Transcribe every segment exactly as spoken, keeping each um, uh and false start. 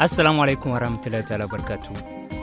Assalaamu alaykum warahmatullahi taala wabarkaatu.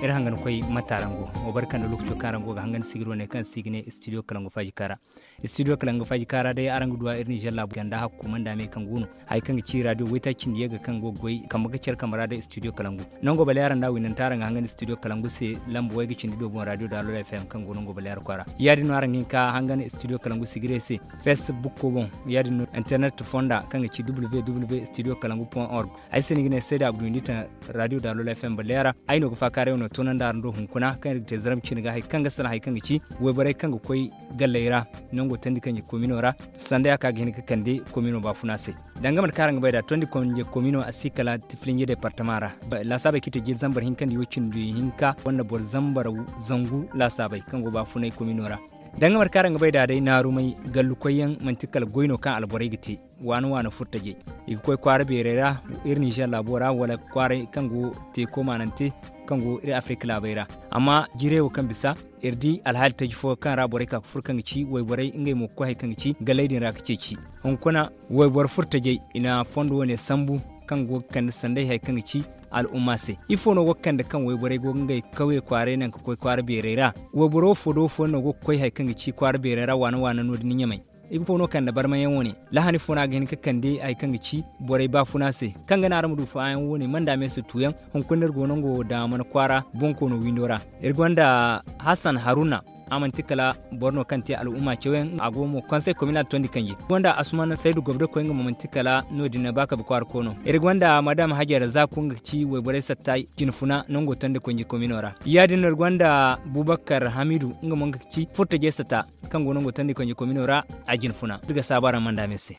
Iri hangan koy mata rango. Wa barka nda lokaco kaŋ rango ga hangan sigiro ne kaŋ si ga ne studio kalangu faaji kaara. Studio kalangu faaji kaara day araŋ ga duwa iri nizer laabu ganda hakku manda me kaŋ go no. Hari kaŋ ga ci radio waytaaci cindi yagga kaŋ go ga goy kambe ga care kambe ra day studio kalangu. Nango bale araŋ da winanta araŋ ga hangan studio kalangu se lamba way ga cindi do boŋ radio daalol fm kaŋ go nango bale ara kwaara. Ya- din no araŋ ga hin ka hangan studio kalangu sigire se. Facebook ko boŋ. Ya- din no internet fonda kaŋ ga ci www studio kalangu point org. Ay se ni ga ne sayda abdu windi taŋ radio daalol fm bale ara. Ay no ga faakaaray wane toonandi araŋ do hunkuna kaŋ iri ga te zaram cine ga hari kaŋ ga salaŋ hari kaŋ ga ci wayborey kaŋ ga koy galley ra. Nango tandi kaŋ ga komino ra sanda ya kaŋ ga hin ga kande komino baafuna se. Danga mate kaŋ araŋ ga bay nd'a tondi konje komino a si kala tifilinje departama ra. Laasaabey kaŋ i te jiiri zambar hinka nda iwo cindi hinka wanda boro zambar zangu laasaabey kaŋ go baafunay komino ra. Danga mate kaŋ araŋ ga bay nd'a day naarumay gallukoyyaŋ manti kala goy no kaŋ alborey ga te. Waana waana furtajey i ga koy kwaara beerey ra iri ninzeer laabo ra wala kwaaray kaŋ go teeko maanante kaŋ go iri afirika laabey ra. Amma jiirey wo kaŋ bisa iri di alhaali taji fo kaŋ ra borey ka ga furo kaŋ ga ci wayborey ngey mo ga koy hari kaŋ ga ci galley din ra ga ceeci. Hunkuna wayboro furtajey i na fondo wane sambu kaŋ go ga kande sanday hari kaŋ ga ci al'umma se. Ifo no go ga kande kaŋ wayborey go ga ngey kawye kwaaray naŋ ga koy kwaara beerey ra? Wayboro wo fo da wo fo no go ga koy hari kaŋ ga ci kwaara beerey ra waana waana no- din ɲamay. Ifo no kande barmayaŋ wane lahani fo no a ga hin ga kande hari kaŋ ga ci borey baafuna se kaŋ ga naŋ araŋ ma du faayaŋ wane manda me se tuuyaŋ. Hunkuna iri go nango daamana kwaara bonkoono windo ra. Iri gonda hasan haruna. A manti kala boro no kaŋ te al'umma cawyaŋ a go mo konsey kominal tondi kanji gonda asumana saydu gobda koy nga mo manti kala no- din ba kabe kwaara koono. Iri gonda madam hajara zaku nga ga ci wayborey satta jinfuna nango tondi kanji komino ra. Ya- din no iri gonda bubakar hamidu nga mo nga ga ci furtajey satta kaŋ go nango tondi kanji komino ra. A jinfuna iri ga saabu araŋ manda me se.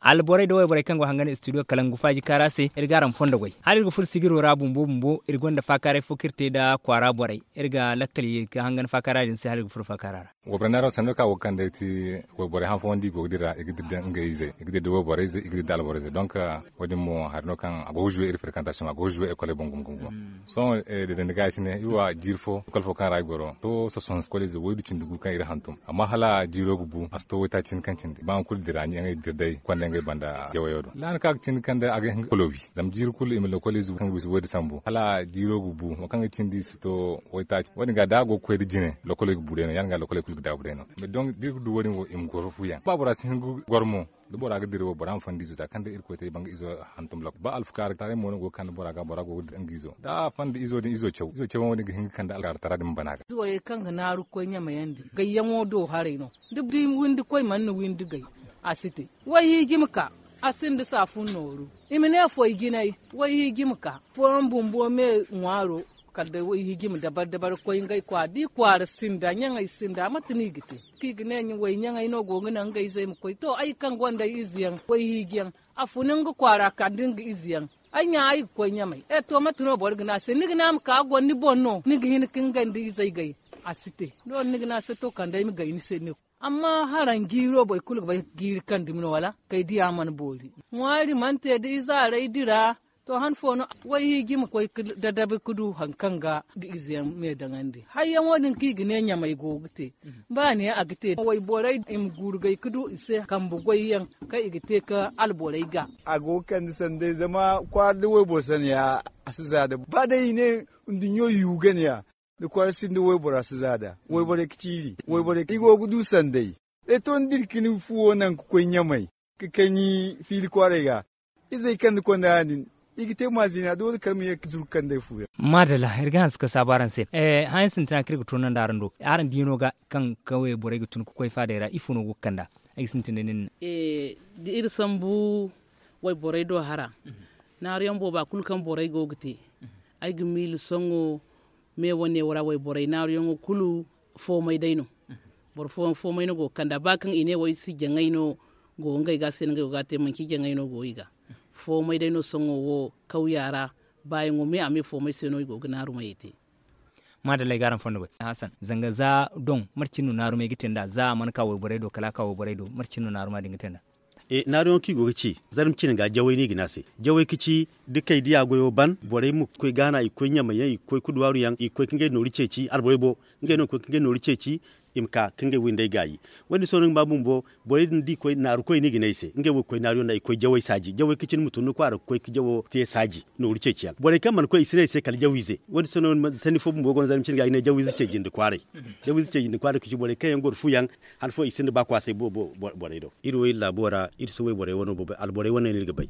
Alborey da wayborey kaŋ go hangan studio kalangu faaji kaara se iri ga araŋ fondo goy hala iri ga furo sigiro ra bumbo bumbo iri gonda faakaaray fo kaŋ iri te nda kwaara borey. Iri ga lakkal ye ga hangan faakaara din se hala iri ga furo faakaara ra. Wayborey naaro sanno kaŋ a go ga kande ti wayborey han fooyaŋ da i go ga dira i ga dira nda ngey izey i ga dira nda wayborey izey i ga dira nda alborey izey donk wo- din mo hari no kaŋ a go ga zuwe iri frekantaasiyoŋ a go ga zuwe ekoley boŋ gumo gumo gumo. Sohõ deedandi ga ya- cine iri wa jiiri fo ekol fo kaŋ ra ay goro to sohõ ekol ize waydu cindi gu kaŋ iri hantum amma hala jiiro ga bu a si to waytaaci cindi kaŋ cindi ba nga kulu dira ngey dira day konda ngey banda jawayo do laana kaŋ a ga cindi kaŋ day a ga hin ga kolobi. Zama jiiri kulu i ma lokol ize kaŋ ga bisa waydu sambu hala jiiro ga bu wo kaŋ ga cindi i si to waytaaci wo- din ga da a go ga koy nda jine lokoley ga bu day no ya- din ga lokoley kulu ga daabu day no. Mais donc da iri ga du wo- din wo i ma goro fu yaŋ ba bora si hin ga goro mo. Da bora ga dira wo bora ma fandi izo za kaŋ day irkoy te banga izo hantum lok ba alfakaari taray mo no go ga kande bora ga bora go ga dira nga izo da a fandi izo din izo caw izo caw wo- din ga hin ga kande alkaari tara din ma bana ga. Izo wo kaŋ ga naaru ga koy ɲamayandi gayyaŋo do haray no da windi koy mana na windi gay. A si te wayhiiji ma ka a sinda saafun nooru i ma ne foy jinay. Wayhiiji ma ka fooyaŋ bumbo me ŋwaaro kala day wayhiiji ma dabar dabar ga koy ngey kwaara da i kwaara sinda ɲaŋey sinda mate no i ga te? Kaŋ i ga ne way ɲaŋey no go ga naŋ ngey izey ma koy to ay kaŋ gonda ay izeyaŋ wayhiijiyaŋ a funa nga kwaara kala nda nga izeyaŋ. Ay ɲa ay ga koy ɲamay e to mate no boro ga ne a se ni ga ne a ma ka a goro ni boŋ no ni ga hin ka nga nda izey gay? A si te. Doole ni ga ne a se to kala day ay ma gay ni se ne. Amma haraŋ jiiro boro kulu ga bay jiiri kaŋ dumi no wala kay diya mana boori ŋwaari mana te da ize haray dira. To han fo no wayhiiji ma koy ga dadabi ga du hari kaŋ ga da izeyaŋ me daŋandi hayyaŋo din kaŋ i ga ne ɲamay go ga te. Ba ne a ga te wayborey i ma guuru gay ga du i se kambe goyyaŋ kaŋ i ga te ga alborey ga. A go ga kande sanday zama kwaara da wayboro sanayaŋ a si za da ba day i ne nduɲɲo yu ganayaŋ da kwaara sinda waybora si za da wayborey ga ciiri wayborey i go ga du sanday. Day to ni dira cine fuwo naŋ ga koy ɲamay ga kaŋ ni fiili kwaaray ga izey kaŋ ni konda ya- din i ga te maazina doole kala ma ye ga zuru ga kande ay fu yaŋ. Maadalla iri ga hanse ga saabu araŋ se. Hããyaŋ sintina kaŋ iri ga toonandi araŋ do araŋ diino ga kaŋ kawye borey ga tun ga koy faadey ra ifo no go ga kand'a? Ay ga sintin day nin. Da iri sambu wayborey do hara naaruyaŋ booba kulu kaŋ borey go ga te ay ga miila sohõ me wane wo ra wayborey naaruyaŋo kulu foomay day no. Boro fooyaŋ foomay no go ga kand'a ba kaŋ i ne wo ay si jaŋay no go ngey ga se no ngey go ga a te manci jaŋay no go i ga foomay day no sohõ wo kawya ra baayaŋo me a me foomay se no i go ga naarumey te. Maadalla ay ga araŋ fondo goy hasan zanga za doŋ mate cine no naarumey ga te nd'a za a mana ka wayborey do kala a ka wayborey do mate cine no naaruma din ga te nd'a? Naaruyaŋo kaŋ i go ga ci zarma cine ga jawey no i ga ne a se jawey ga ci da kay diya goyo ban borey ma koy gaana i ga koy ɲamay yaŋ i ga koy ga duwaaru yaŋ i ga koy ga ngey nooru ceeci alborey bo ngey no ga koy ga ngey nooru ceeci. i ma ka ka ngey windey gaayi. Wo- din sohõ ni ga ba bumbo, borey din da i koy naaru koy no i ga ne i se ngey wo ga koy naaru yaŋ no i ga koy jawey saaji jawey ka cine ma tun ni kwaara ga koy ga jawo te saaji. Nooru ceeci yaŋ borey kaŋ mana koy i si ne i se kala jawiize. Wo- din sohõ sanni fo bumbo go no zarma cine ga i ga ne jawiize ce jinde kwaaray. Jawiize ce jinde kwaaray ka ci borey kaŋ yaŋ goro fu yaŋ, han fooyaŋ i sinda ba kwaasay borey do. Iri wo iri laabo ra iri si wayborey wano bo alborey wano no iri ga bay.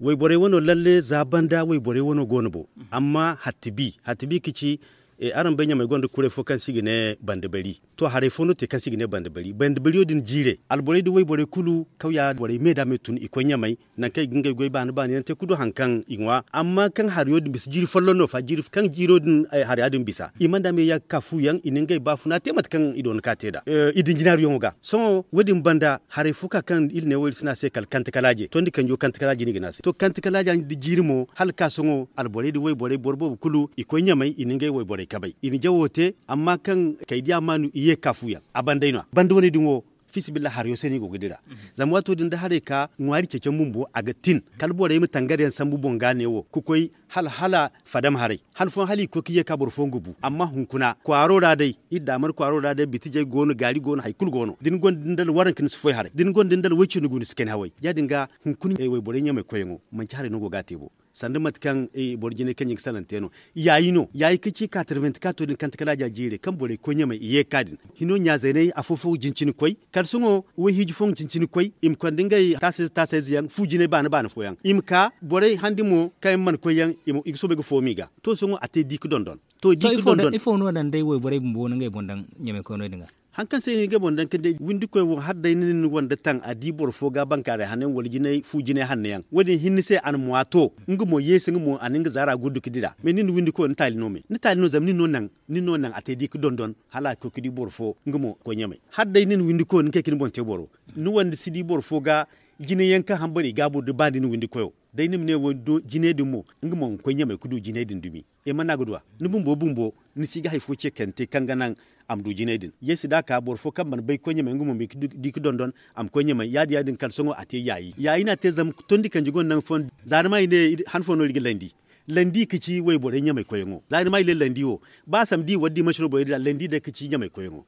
Wayborey wano lalle za banda wayborey wano go no bo. Amma hatti bi hatti bi ka ci, araŋ bay ɲamey gonda kuray fo kaŋ se i ga ne banda bari. To haray fo no te kaŋ se i ga ne banda bari banda bariyo din jiire alborey da wayborey kulu kawya borey me da me tun i koy ɲamey, nangu kaŋ i ga ngey goy baani baani yaŋ te ga du hari kaŋ i ŋwa amma kaŋ hariyo din bisa jiiri folloŋ no fa kaŋ jiiro din hariya din bisa i mana da me ya ga ka fu yaŋ i na ngey baafuna te mate kaŋ i doona ka te nd'a. I din jinaaru yaŋo ga sohõ wo- din banda haray fo ka kaŋ iri ne wo iri si ne a se kala kanti kalaaje tondi kanjo kanti kalaaje no i ga ne a se to kanti kalaaja da jiiri mo hala ka sohõ alborey da wayborey boro boobo kulu i koy ɲamey i na ngey wayborey kabay i na jawo te. Amma kaŋ kay diya maanu i ye ga ka fu yaŋ a banday no- ya banda wane din wo. Fiisabilillahi hariyo se no i go ga dira. Zama waato din da haray ka ŋwaari ceecam bumbo a ga tin kala borey ma tangar yaŋ sambu boŋ ga ne wo ga koy hala hala fadam haray han fooyaŋ hala i ga koy ga ye ga ka boro fooyaŋ ga bu amma hunkuna kwaaro ra day iri daamar kwaaro ra day bitijey go no gaari go no hari kulu go no da ni gonda dindal waranka ni si foy haray da ni gonda dindal way-cindi gu ni si kani haway ya- din ga. Hunkuna wayborey ɲamey koyyaŋo manci haray no go ga a te bo. Sanda mate kaŋ boro jinay kaŋ ɲin ga salaŋ te no. Yaayi no yaayi kaŋ ci kaatarbenti kaato din kante kala a ja jiirey kaŋ borey koy ɲamey i ye ga ka din hino ɲaazayney afo-fo ga jin cine koy kala sohõ wayhiiji fooyaŋ ga jin cine koy i ma konda ngey taasayze taasayze yaŋ fu jinay baana baana fooyaŋ i ma ka borey handi mo kaŋ yaŋ mana koy yaŋ i ga soobay ga fooma i ga. To sohõ a te di ga dondon. To di ga dondon ifo no naŋ day wayborey bumbo no ngey boŋ daŋ ɲamey koyno din ga. Hari kaŋ se no i ga boŋ daŋ ka ne windikoy wo hala day ni na ni wande taŋ a di boro fo ga bankaaray hanno yaŋ wala jinay fu jinay hanno yaŋ wo- din hinne se a na mo a to nga mo yeesi nga mo a na nga zaara guddu ga dira mais ni na windikoy ni taali no me ni taali no zama nin no naŋ a te di ga dondon hala a ga koy ga di boro fo nga mo ga koy ɲamey. Hala day ni na windikoy ni kay ga ni boŋ te boro ni wande si di boro fo ga jinay yaŋ kaŋ hambari i gaabo da ba ni na windikoyo. Day ni ma ne jinay din mo nga mo ga koy ɲamey ga du jinay din dumi. Ay mana ga du a ni bumbo bumbo ni si ga hari fo ce kaŋ te kaŋ ga naŋ a ma du jinay din yeesi da a ka boro fo kaŋ mana bay ga koy ɲamey nga mo ma di ga dondon a ma koy ɲamey ya- din ya- din kala sohõ a te yaayi yaayi no a te zama tondi kanji gonda naŋ fooyaŋ. Za ni ma i ne han fo no iri ga landi landi ga ci wayborey ɲamey koyyaŋo za ni ma i ne landi wo ba samdi wala dimansi no borey dira landi day ga ci ɲamey koyyaŋo.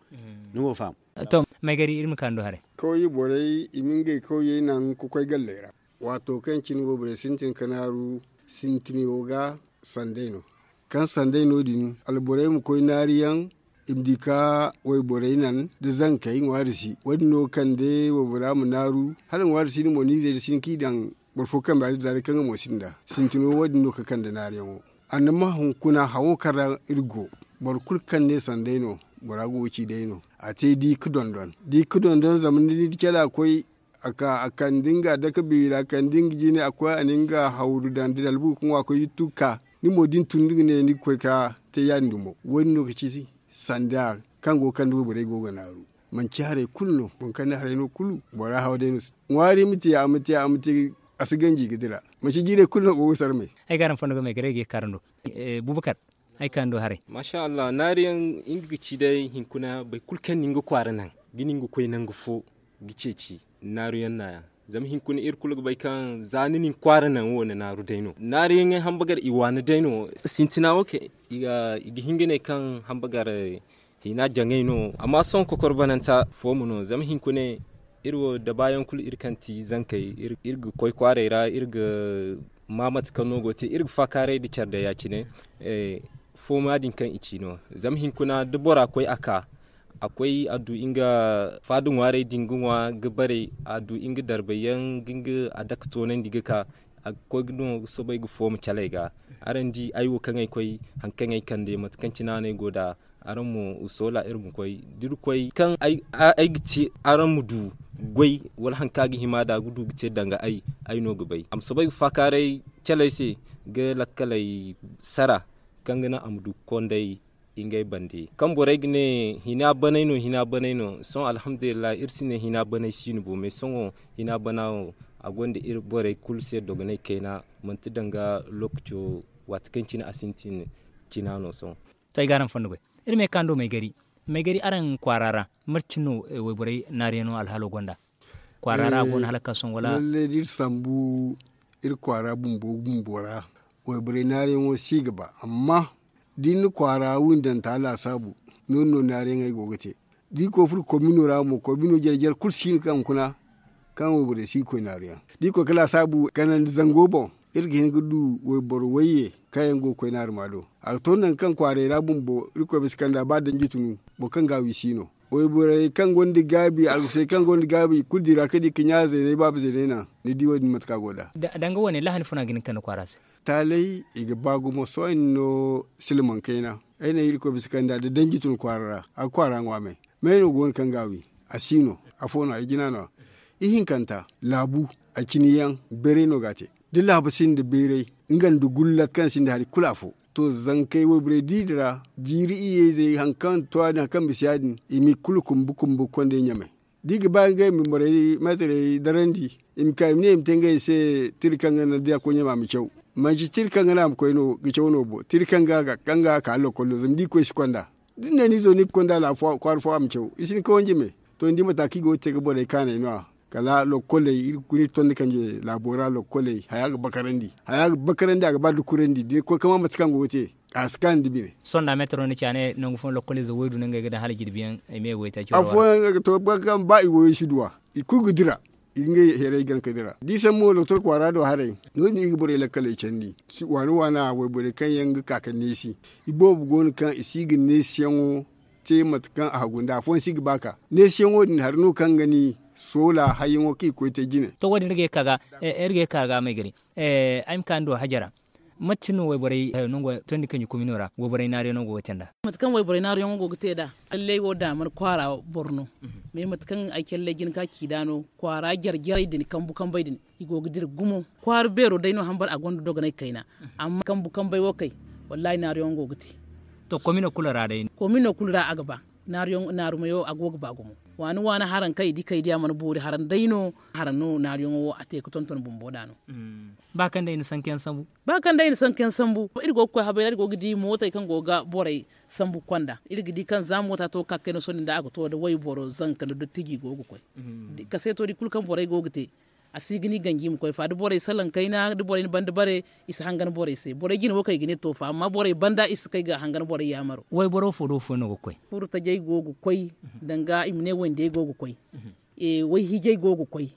Ni go ga faham. To maygari iri ma kaanu do haray. Kawye borey i ma ngey kawyey naŋ ga koy galley ra. Waato kaŋ cine wayborey sintin ga naaru sintino ga sanday no kaŋ sanday no- din alborey ma koy naariyaŋ i ma di ka wayborey naŋ da zankey ŋwaari si wo- din no ga kande waybora ma naaru hala ŋwaari si din mo niizey da si hin kaŋ i daŋ boro fo kambe a dira day kaŋ nga mo sinda sintino wo- din no ga kande naariyaŋo. Annama hunkuna hawo kaŋ ra iri go boro kulu kaŋ ne sanday no bora go ga ci day no a te di ga dondon di ga dondon zama ni di cala koy a ka a kande nga dake beeri a kande nga jine a koy a na nga hawru daŋ da dalbu ga ŋwa koy yuttu ga ka ni mo da ni tun ni ga ne ni ga koy ga te ya- din dumo wo- din no ga ci sanda kaŋ go ga kande wayborey go ga naaru manci haray kulu no boro kaŋ ne haray no kulu bora haw day no. Ŋwaari ma te a ma te a ma te a si ganji ga dira manci jiirey kulu no go ga sarmay. Ay ga araŋ fondo ga may garay ga ye ga kaarando. Bubakar ay kaarando haray. Masha allah naariyaŋ nga ga ci day hinkuna boro kulu kaŋ na nga kwaara naŋ ga na nga koy nangu fo ga ceeci naaruyaŋ naayaŋ. Zama hinkuna iri kulu ga bay kaŋ za ni na ni kwaara naŋ wo ni naaru day no naariyaŋey hambagar i waani day no. Sintina wo kay i ga hin ga ne kaŋ hambagar hina jaŋay no amma sohõ kokoro bananta fooma no zama hinkuna iri wo dabaayaŋ kulu iri kaŋ ti zankey iri ga koy kwaaray ra iri ga ma mate kaŋ no go te iri ga faakaaray nda care day ya- cine. Fooma din kaŋ i ci no zama hinkuna da bora koy a ka a koy a du nga faada ŋwaarey din ga ŋwa ga bare a du nga darbayyaŋ ga nga a dake toonandi ga ka a ga koy ga no ga soobay ga fooma caley ga. Araŋ di ay wo kaŋ ay koy hari kaŋ ay kande mate kaŋ cine no ay go nd'a araŋ mo i soola iri ma koy da iri koy kaŋ ay ga te araŋ ma du goy wala hari kaŋ a ga hima nd'a ga du ga te danga ay ay no ga bay a ma soobay ga faakaaray caley se ga lakkaley sara kaŋ ga naŋ a ma du ga konday ngey bande kaŋ borey ga ne hina baney no hina baney no sohõ alhamdulillahi iri si ne hina baney si no bo mais sohõ hina bana wo a gonda iri borey kulu se dogonay kayna manti danga lookaco waati kaŋ cine a sintin cina no sohõ. To ay ga araŋ fondo goy iri ma ye kaŋ do maygari maygari araŋ kwaara ra marci no wayborey naariyaŋo alhaalo gonda kwaara ra a go no hala ga ka sohõ wala? Lallai da iri sambu iri kwaara bumbo bumbo ra wayborey naariyaŋo si ga ba amma da ni na kwaara windanta laasaabu no- din no naariyaŋey go ga te. Da i koy furo komino ra mo komino jare jare kulu si hin kaŋ hunkuna kaŋ wayborey si ga koy naaru yaŋ. Da i koy ga laasaabu kanandi zango boŋ, iri ga hin ga du wayboro wayye kaŋ yaŋ go ga koy naaru ma do. A ga to nangu kaŋ kwaaray ra bumbo iri koy bisa kanda ba danji tunu boro kaŋ ga a wi si no. Wayborey kaŋ gonda gaabi alkusey kaŋ gonda gaabi kulu di ra kaŋ di ga ɲa zeeney baaba zeeney naŋ. Ni di wo- din mate kaŋ a go nd'a. Danga wane lahani funa ga hin ga kande kwaara se. Taaley i ga ba gumo sohõ ay na no silmaŋ kayna. Ay ne irkoy bisa kanda da danji tun kwaara ra a ga kwaara ŋwa me. May no go no kaŋ ga a wi? A si no. Afo no ay jina no a. Ihinkanta laabu a cini yaŋ beeray no ga a te. Da laabu sinda beeray nga nda gulla kaŋ sinda hari kulu afo. To zankey wayborey di din ra jiiri iyye izey hari kaŋ to ya- din hari kaŋ bisa ya- din i ma i kulu kumbu kumbu ga konda ɲamay. Da i ga ba ngey ma borey meetarey darandi i ma ka i ma ne i ma te ngey se tira kaŋ ga naŋ da ya koy ɲama a ma caw. Manci tira kaŋ ga naŋ a ma koy no ga caw no bo tira kaŋ ga a ga ka lokkol do zama da i koy si konda. Da ni ne ni zo ni ga konda kwaara fo a ma caw i si ni kawandi me. To ni di mata kaŋ i go ga te ga borey kaanay no- ya kala lokkoley iri ga koy no iri ga tondi kanje laabo ra lokkoley haya ga bakarandi a ga ba dukurandi da ni koy ga ma mate kaŋ go ga te. A si kaanu nda bine. Sohõ nda meetaro ni ci a ne nangu fooyaŋ lokkoliize woy du no ngey ga daŋ hala jirbi yaŋ ay ma ye woy taaci afooyaŋ ga to ba i woyo si duw'a. I kulu ga dira i ga ngey heeray gana ga dira da i sambu mo doktor kwaara do haray. No- din i ga borey lakkaley candi waani waana wayborey kaŋ yaŋ ga ka ga neesi. I boobo go no kaŋ i si ga neesiyaŋo te mate kaŋ a hagu nda afooyaŋ si ga ba ka neesiyaŋo din hari no kaŋ ga ni soola hayyaŋo kaŋ i ga koy te jine. To wo- din iri ga ye ga ka ga may gari. Ay ma ka ni do hajara. Mate cine no wayborey hayo no go ga tondi kanji komino ra wayborey naaruyaŋo go ga te nd'a? Mate kaŋ wayborey naaruyaŋo go ga te nd'a. Lallay wo daamar kwaara boro no. Mais mate kaŋ ay calley jina ka ci nd'a no kwaara jare jarey din kambu kambey din i go ga dira gumo. Kwaara beero day no hambar a gonda dogonay kayna. Amma kambu kambey wo kay wallaahi naaruyaŋo go ga te. To komino kulu ra day. Komino kulu ra a ga ba. Naaru mayo a go ga ba gumo. Waani waani haraŋ kaŋ i di kay di a mana boori haraŋ day no. Haraŋ no naaruyaŋo wo a te ga tonton bumbo nd'a no. Ba kaŋ day na sankayaŋ sambu. Ba kaŋ day na sankayaŋ sambu iri go ga koy habay ra iri go ga di mootey kaŋ go ga borey sambu konda iri ga di kaŋ za moota to ga ka ga kay no sohõ din da a ga to nda wayboro zanka nda dottijo i go ga koy. Kaseeto di kulu kaŋ borey go ga te. A si ga ni ganji ma koy fa da borey salaŋ kayna da borey na banda bare. I si hangan borey se borey jine wo kaŋ i ga ne to fa amma borey banda i si kay ga hangan borey yaamaro. Wayboro fo do fooyaŋ no ga koy? Furtajey go ga koy. Danga i ma ne wandiyey go ga koy. Wayhiijey go ga koy.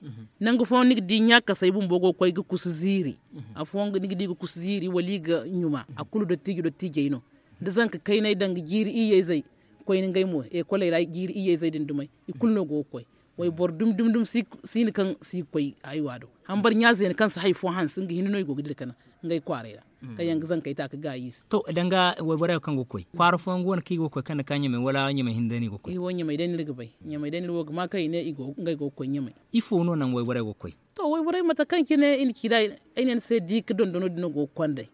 Nangu fooyaŋ ni ga di ɲaakasey bumbo go ga koy ga kusu ziiri. Afooyaŋ ni ga di ga kusu ziiri wala i ga ɲuma a kulu dottijo dottiijey no. Da zanka kaynay danga jiiri iyyey zey koyne ngey mo ekoley ra jiiri iyyey zey din dumey i kulu no go ga koy. Wayboro dumi dumi dumi siina kaŋ si ga koy haywa do. Hambar ɲa zeena kaŋ si hari fo hanse nga hinne no i go ga dira kanaŋ ngey kwaaray ra. Kaŋ yaŋ ga zankey ta ga gaayi i se. To danga wayborey wo kaŋ go ga koy kwaara fooyaŋ go no kaŋ i go ga koy kaŋ nda ka ɲamay wala ɲamay hinne day no i go ga koy? Iri wo ɲamay day no iri ga bay. Ɲamay day no iri wo ga ma kaŋ i ne ngey go ga koy ɲamay. Ifo no naŋ wayborey go ga koy? To wayborey mate kaŋ cine i na ci nd'a ay ne ni se diika dondono din no go ga konday.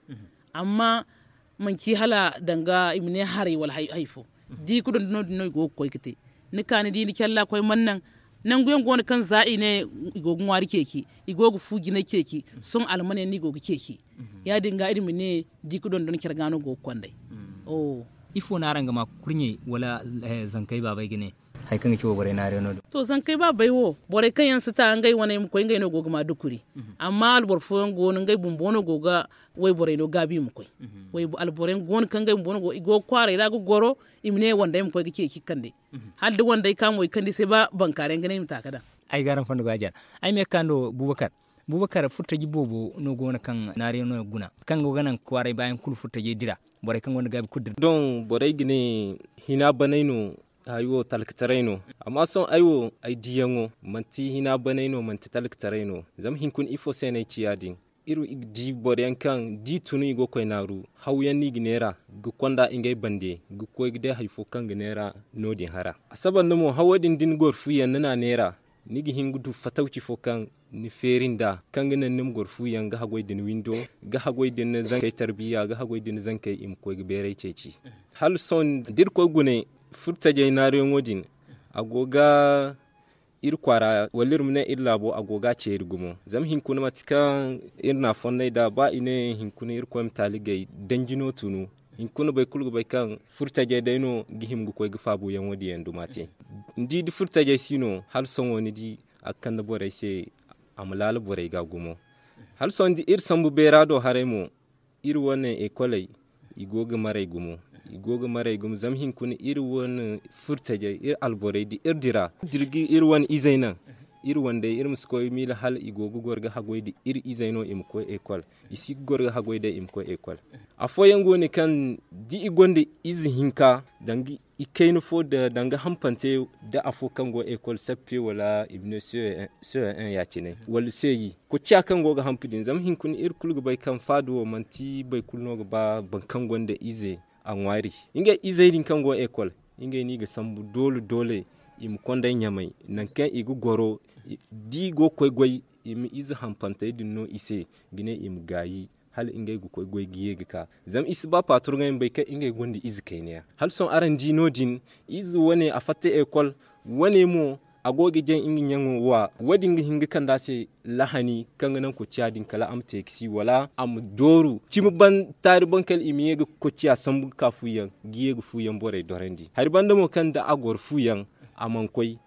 Amma manci hala danga i ma ne haray wala hari fo. Diika dondono din no i go ga koy ga te. Ni ka ni di ni calla koy mana naŋ. Nangu yaŋ go no kaŋ za i ne i go ga ŋwaari ceeci i go ga fu jinay ceeci. Sohõ almane no i go ga ceeci. Ya- din ga iri ma ne diika dondon care ga no go ga konday. Ifo no araŋ ga ma kurɲey wala zankey baabey ga ne? Hari kaŋ ga ci wayborey naariyaŋo din. To zankey baabey wo borey kaŋ yaŋ si ta ngey wane i ma koy ngey no go ga ma dukuri. Amma alboro fooyaŋ go no ngey bumbo no go ga wayborey no gaabi i ma koy. Alboro yaŋ go no kaŋ ngey bumbo no go i go ga kwaaray ra ga goro. I ma ne wandey ma koy ga ceeci ga kande. Hala da wandey ka mo i kande i se ba bankaara yaŋ ga ne i ma ta ga daŋ. Ay ga araŋ fondo go a jara. Ay ma ye ga ka ni do bubakar. Bubakar furtaji boobo no go no kaŋ naariyaŋo guna kaŋ go ga naŋ kwaaray baayaŋ kulu furtajey dira. Borey kaŋ gonda gaabi kulu dira. Doŋ borey ga ne hina banay no. Hayo talkataray no. Amma sohõ ay wo ay diyaŋo manti hina banay no manti talkataray no. Zama hinkuna ifo se no ay ci ya- din? Iri di boro yaŋ kaŋ da i tun i go ga koy naaru haw yaŋ no i ga neera ga konda ngey bande ga koy ga day hari fo kaŋ ga neera. No- din hara a saba nda mo hawo din da ni goro fu yaŋ ni n'a neera ni ga hin ga du fatawci fo kaŋ ni feeri nd'a kaŋ ga naŋ ni ma goro fu yaŋ ga haggoy da ni windo ga haggoy da ni zankey tarbiya ga haggoy da ni zankey i ma koy ga beeray ceeci. Hala sohõ da iri koy gune furtajey naaruyaŋo din a go ga iri kwaara wala iri ma ne iri laabo a go ga a ceeri gumo zama hinkuna mate kaŋ iri n'a fonnay nd'a ba i ne hinkuna irkoy ma taaligay danji no tunu. Hinkuna boro kulu ga bay kaŋ furtajey day no ga hima ga koy ga faabuyaŋo din yaŋ duma te. Ni di da furtajey si no hala sohõ ni di a ga kande borey se a ma laala borey ga gumo. Hala sohõ da iri sambu beera do haray mo iri wane ekoley i go ga maray gumo. I go ga maray gumo zama hinkuna iri wane furtajey iri alborey da iri dira iri wane izey naŋ. Iri wandey iri ma si koy miila hala i go ga goro ga haggoy da iri izey no i ma koy ekol. I si ga goro ga haggoy day i ma koy ekol. Afooyaŋ go no kaŋ da i gonda ize hinka danga i kayna fo danga hampante, da afo kaŋ go ekol sappe wala i ma ne seeyaŋ ya- cine wala seeyi. Koociya kaŋ go ga hampa din zama hinkuna iri kulu ga bay kaŋ faada wo manti boro kulu no ga ba boro kaŋ gonda ize a ŋwaari. Ngey izey din kaŋ go ekol, ngey no i ga sambu doole doole i ma konday ɲamay nangu kaŋ i ga goro. Da i go ga koy goy, i ma ize hampantey din no i se ga ne i ma gaayi hala ngey ga koy goy ga ye ga ka. Zama i si ba paaturŋey ma bay kaŋ ngey gonda ize kayna yaŋ. Hala sohõ araŋ di no- din, ize wane a fatta ekol, wane mo a go ga jaŋ nga ɲaŋo wa. Wo- din ga hin ga kande a se lahani kaŋ ga naŋ koociya din kala a ma te ga si wala a ma dooru cimi ban taari ban kala i ma ye ga koociya sambu ga ka fuyaŋ ga ye ga fuyaŋ borey dorandi hari banda mo kaŋ da a goro fuyaŋ a mana koy.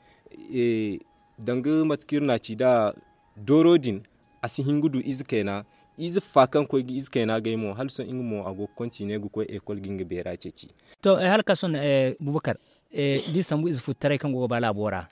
Danga mate kaŋ iri na a ci nd'a dooro din, a si hin ga du ize kayna. Ize fa kaŋ koy ga ize kayna gay mo hala sohõ nga mo a go ga kontine ga koy ekol ga nga beera ceeci. To hala ka sohõ, bubakar, da i sambu ize futtaray kaŋ go ga ba laabo ra,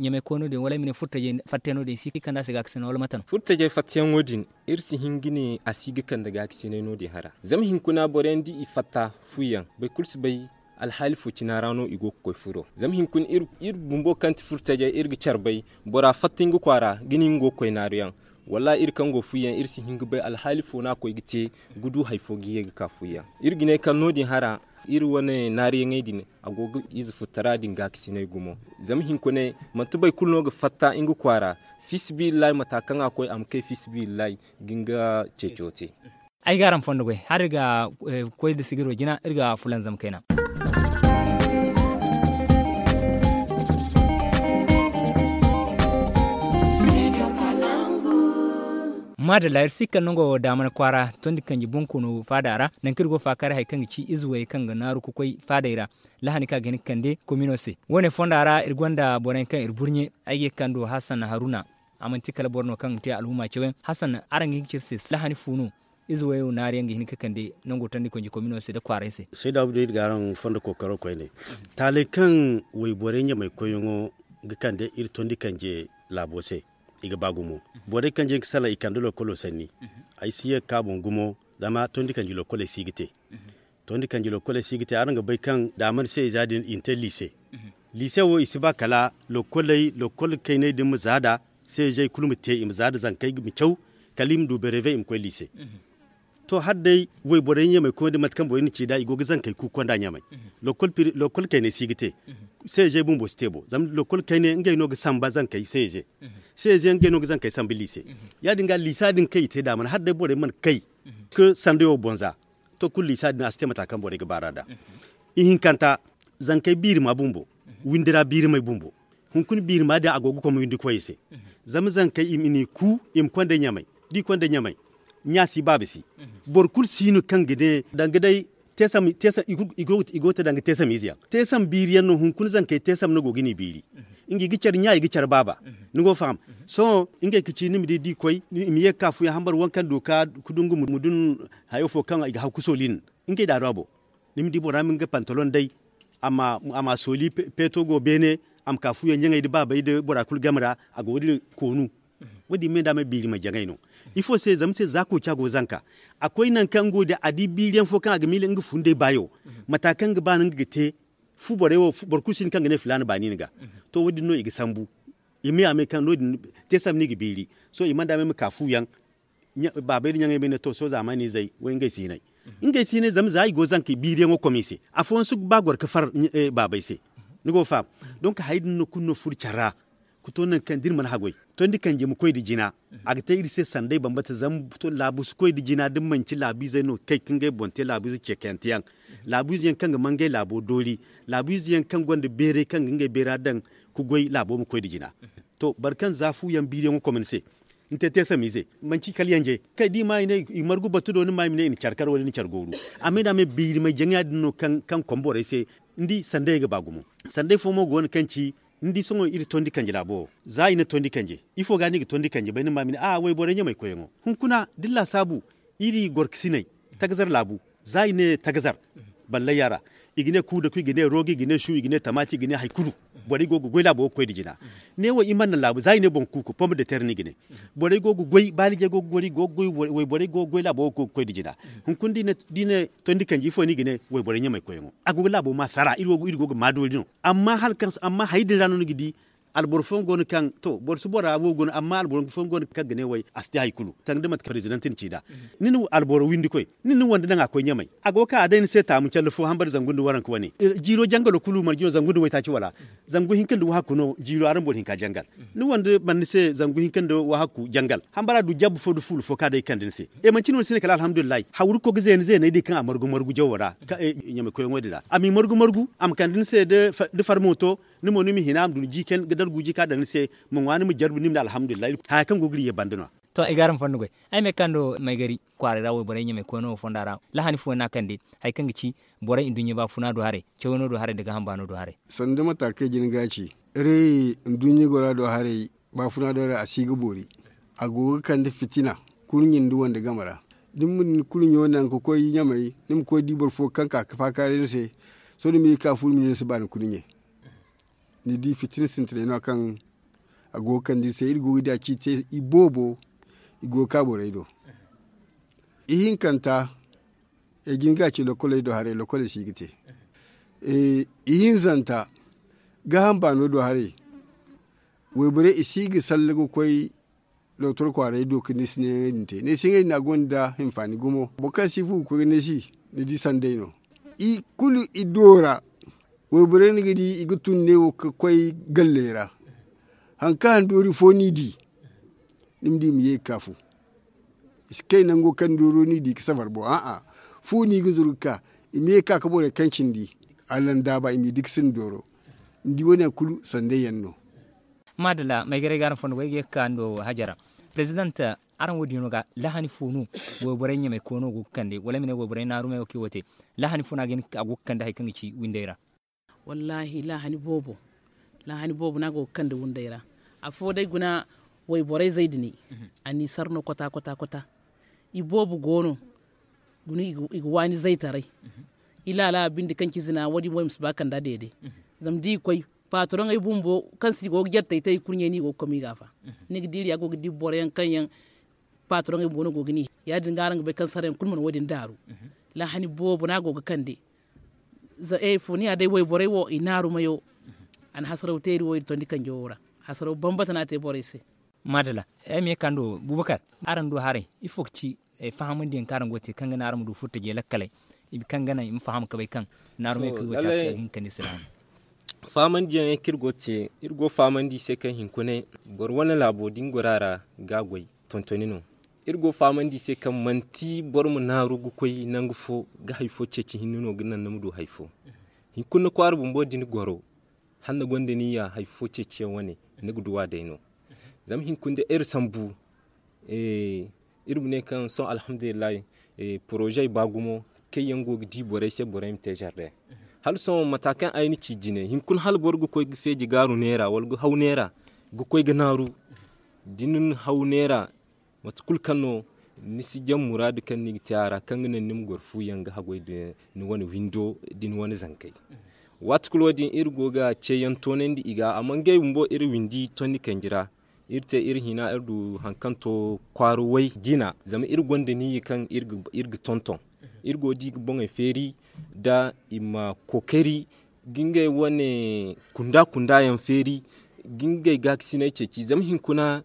ɲamay koy no- din wala ay ma ne furtajey fatta no- din si ga kande a se gaakasinay wala mate no? Furtajey fattayaŋo din, iri si hin ga ne a si ga kande gaakasinay no- din hara zama hinkuna boro yaŋ da i fatta fuyaŋ boro kulu si bay alhaali fo cina ra no i go ga koy furo. Zama hinkuna iri bumbo kaŋ ti furo tajey iri ga care bay, bora fatta nga kwaara ga ne nga go ga koy naaru yaŋ. Wallaahi iri kaŋ go ga fu yaŋ iri si hin ga bay alhaali fo no a koy ga te ga du hari fo ga ye ga ka fu yaŋ. Iri ga ne kaŋ no- din hara iri wane naaru yaŋey din, a go ga ize futtara din gaakasinay gumo. Zama hinkunay manti boro kulu no ga fatta nga kwaara, fiisabilillahi mata kaŋ a koy a ma kay fiisabilillahi ga nga ceeco te. Ay ga araŋ fondo goy hala iri ga koy nda sigiro jina iri ga fulanzam kayna. Maadalla iri si kaŋ nango daamana kwaara tondi kanji bonkoono faada ra nangu kaŋ iri go ga faakaaray hari kaŋ ga ci ize wayey kaŋ ga naaru ga koy faadey ra. Lahani kaŋ a ga hin ga kande komino se wo- ne fonda ra iri gonda boro yaŋ kaŋ iri burɲe. Ay ga ye ga kande hasan haruna. A manti kala boro no kaŋ ga te alhuma cawyaŋ hasan araŋ ga hin ga ci iri se lahani fu no? Ize wayo naari yaŋ ga hin ga kande nango tandi konji komino se nda kwaaray se. Sayda abdu iri ga araŋ fondo kookaro koyne. Taaley kaŋ wayborey ɲamay koyyaŋo ga kande iri tondi kanje laabo se. I ga ba gumo borey kanje yaŋ ga salaŋ i kande lokolo sanni. Ay si ye ga ka boŋ gumo zama tondi kanji lokoley si ga te. Tondi kanji lokoley si ga te araŋ ga bay kaŋ daamar se i za din i na te liise. Liise wo i si ba kala lokoley lokol kayney din ma za nd'a. Seezey kulu ma te i ma za nda zankey ma caw kala i ma du bereebe i ma koy liise. To hala day wayborey ɲamay koy nda mate kaŋ borey na ci nd'a i go ga zankey kuuku konda ɲamay. Lokol kayney si ga te. Seezey bumbo si te bo zama lokol kayney ngey no ga samba zankey seeze. Seeze yaŋ ngey no ga zankey sambu liise. Ya- din ga liisa din kaŋ i te daamar hala day borey mana kay ga sanday wo boŋ za. To kulu liisa din a si te mata kaŋ borey ga baar'a nd'a. Ihinkanta zankey biirima bumbo windi ra biirimey bumbo. Hunkuna biirima din a go ga komo windi koyey se. Zama zankey i ma ni ku i ma konda ɲamay da i konda ɲamay. Ɲa si baaba si. Boro kulu si no kaŋ ga ne danga day teesam i go ga te danga teesam ize yaŋ teesam biiri yaŋ no hunkuna zankey teesam no go ga ni biiri. Nga i ga care ɲa i ga care baaba. Ni go ga faham? Sohõ ngey ga ci ni ma di da i koy i ma ye ga ka fuyaŋ hambar waŋ kaŋ du ga ka ga dungu ma dun hayo fo kaŋ i ga haw ga sooli nin. Ngey daaro a boŋ. Ni ma di bora ma nga pantalon day a ma sooli peeto go beene. A ma ka fuyaŋ ɲaŋey nda baabey nda bora kulu game ra. A go ga dira koonu. Wo- din me nda me biiri ma jaŋay no. Ifo se zama se za kooca go ga zanka. A koy nangu kaŋ nga wo din a di biiri yaŋ fo kaŋ a ga miila nga fundey baayo. Mata kaŋ ga ba no nga ga te fu borey wo boro kulu si hin kaŋ ga ne filaana baani ni ga. To wo- din no i ga sambu. I ma ya me kaŋ no- din teesam no i ga biiri. Sohõ i mana da me ma ka fu yaŋ. Baabey nda ɲaŋey ma ne to sohõ zaamaani izey wo ngey si hinay. Ngey si hinay zama za i go ga zanka biiriyaŋo kom i se. Afooyaŋ si ga ba goro ga far baabey se. Ni go ga faham? Donk hari din no kulu no furo care ra. Ga to nangu kaŋ da iri mana haggoy tondi kanje ma koy nda jina. A ga te iri se sanday bambata zama laabu si koy nda jina da manci laabu izey no ga kay ga ngey boŋ te laabu ize ceekayante yaŋ. Laabu ize yaŋ kaŋ ga mangay laabo doori. Laabu ize yaŋ kaŋ gonda beeray kaŋ ga ngey beera daŋ ga goy laabo ma koy nda jina. To boro kaŋ za fu yaŋ biiriyaŋo kom ni se. Ni te teesamiize manci kala yanje kay da i ma i ne i margu batu do ni ma i ma ne i na care kar wala i na care gooru. Amma i na a me biiri may jaŋ ya- din no kaŋ kom borey se. Ni di sanday ga ba gumo. Sanday fo mo go no kaŋ ci ni di sohõ iri tondi kanje laabo wo. Za i ne tondi kanje ifo ga no i ga tondi kanje bay ni ma i ma ne a wayborey ɲamay koyyaŋo. Hunkuna da ni laasaabu iri gorkasiney tagazar laabu. Za i ne tagazar Ballayya ra, i ga ne kuudaku, i ga ne roogo, i ga ne su, i ga ne tamaati, i ga ne hari kulu. Borey go ga goy laabo ga koy nda jina. Ne wo i mana laabu za i ne boŋ kuuku pom de ter no i ga ne. Borey go ga goy baalijey go ga goy, wayborey go ga goy laabo ga koy nda jina. Hunkuna da i ne tondi kanji ifo no i ga ne wayborey ɲamay koyyaŋo a go ga laabo ma sara iri go ga ma doori no. Amma hari din ra no ni ga di alboro fooyaŋ go no kaŋ to boro si bora wo go no amma alboro fooyaŋ go no kaŋ ga ne way a si te hari kulu sanda mate kaŋ president na ci nd'a. Ni na alboro windi koy ni na ni wande naŋ a koy ɲamay a go ga ka a day ni se taamu calla fo hambari zangu nda waranka wane. Jiiro jangalo kulu marje no zangu nda waytaaci wala zangu hinka nda wahakku no jiiro araŋ boro hinka jangal. Ni wande man ni se zangu hinka nda wahakku jangal hambara du jabbu fo nda fuulu fo kaŋ a day ga kande ni se. E manci ni wane si ne kala alhamdulillahi hawru ga koy ga zeena zeeney din kaŋ a margu margu jawo ra ɲamay koyyaŋo din ra a m'i margu margu a ma kande ni se nda farmooto. Ni mo ni ma hina a ma du ni jiikan ga dargu jiika daŋ ni se. Ma ŋwa ni ma jarbi ni ma ne alhamdulillahi haya kaŋ go ga iri ye banda no- ya. To ay ga araŋ fondo goy ay ma ye ga kando maygari kwaaray ra wayborey ɲamay koyno wo fonda ra lahani fooyaŋ no a kande hari kaŋ ga ci borey nduɲɲa baafuna do haray cawayno do haray nda gaaham baano do haray. Sanda mata kaŋ ay jin ga a ci iri nduɲɲa gora do haray baafuna do haray a si ga boori. A go ga kande fitina kurɲe nda wande game ra. Da ni ma ni kurɲo naŋ ga koy ɲamay ni ma koy di boro fo kaŋ ka ga faakaaray ni se. Sohõ ni ma ye ga ka fu ni ma ne ni si ba ni kurɲe. Ni di fitina sintinay no kaŋ a go ga kande iri se iri go ga di a ci te iboobo. I go ga ka borey do ihinkanta ay jin ga a ci lokoley do haray lokoley si ga te. Ihinzanta gaaham baano do haray wayborey i si ga salle ga koy lootoro kwaaray do ga ni si ne ŋey din te ne si ŋey din a gonda hinfaani gumo boro kaŋ si fu ga koy ga ne si. Ni di sanday no i kulu i doora wayborey ni ga di i ga tun ne wo ga koy galley ra. Hari kaŋ handoori fo ni di ni ma di i ma ye ga ka fu i si kay nango kaŋ dooro no i di ga safar boŋ a'a fu no i ga zuru ga ka i ma ye ga ka ga borey kaŋ cindi. Allandaaba i m'i dikasi nda dooro ni di wo- ne yaŋ kulu sanday yaŋ no. Maadalla maygaray ga araŋ fondo goy ga ye ga ka ndo hajara. Prezident araŋ wo- din no ga lahani fo no wayborey ɲamay koyno go ga kande wala ay ma ne wayborey naaru mayo kaŋ i wo te lahani fo no a go ga kande hari kaŋ ga ci windey ra? Wallaahi lahani boobo lahani boobo no a go ga kande windey ra. Afo day guna wayborey zay dinay a n'i sar no kota kota kota. Iboobo go no guna i ga waani zaytaray. I laala binde kaŋ ci zina wo- din wo i ma si ba kand'a deede. Zama da i ga koy paatoroŋey bumbo kaŋ se i go ga jartey te i kurɲey no i go ga koy ma i gaafa. Ni ga diiri a go ga di boro yaŋ kaŋ yaŋ paatoroŋey bumbo no go ga ni ya- din ga araŋ ga bay kaŋ sarayaŋ kulu mana wo- din daaru. Lahani boobo no a go ga kande. Za e funiya day wayborey wo i naaru mayo. A na hasaraw te iri wo iri tondi kanjo wo ra. Hasaraw bambata no a te borey se. Maadala ay ma ye ga ka ndo bubakar araŋ du haray ifo ga ci fahamandiyaŋ kaŋ araŋ go ga te kaŋ ga naŋ araŋ ma du furtajey lakkaley kaŋ ga naŋ i ma faham ga bay kaŋ naarumey kaŋ i go ga te a ga hin ga kande sila hano. Fahamandiyaŋey kaŋ iri go ga te iri go ga fahamandi i se kaŋ hinkunay boro wane laabo da ni goro a ra ga a goy tontoni no. Iri go ga fahamandi i se kaŋ manti boro ma naaru ga koy nangu fo ga hari fo ceeci hinne no ga naŋ ni ma du hari fo. Hinkuna ni kwaara bumbo da ni goro hala ni gonda niyya hari fo ceeciyaŋ wane ni ga duw'a day no. Zama hinkuna da iri sambu iri ma ne kaŋ sohõ alhamdulillahi poroze ba gumo kaŋ yaŋ go ga di borey se borey ma te zarde. Hala sohõ mata kaŋ ay na ci jine hinkuna hala boro ga koy ga feeji gaaru neera wala ga haw neera ga koy ga naaru da ni na haw neera mate kulu kaŋ no ni si jaŋ muraadu kaŋ ni ga te a ra kaŋ ga naŋ ni ma goro fu yaŋ ga haggoy da ni wane windo da ni wane zankey. Waati kulu wo- din iri go ga ceeyaŋ toonandi i ga amma ngey bumbo iri windi tondi kanji ra. Iri te iri hina iri du hari kaŋ to kwaara way jina zama iri gonda niiya kaŋ iri ga tonton. Iri go ga di ga boŋey feeri nda i ma kookari ga ngey wane kunda kunda yaŋ feeri ga ngey gaakasinay ceeci zama hinkuna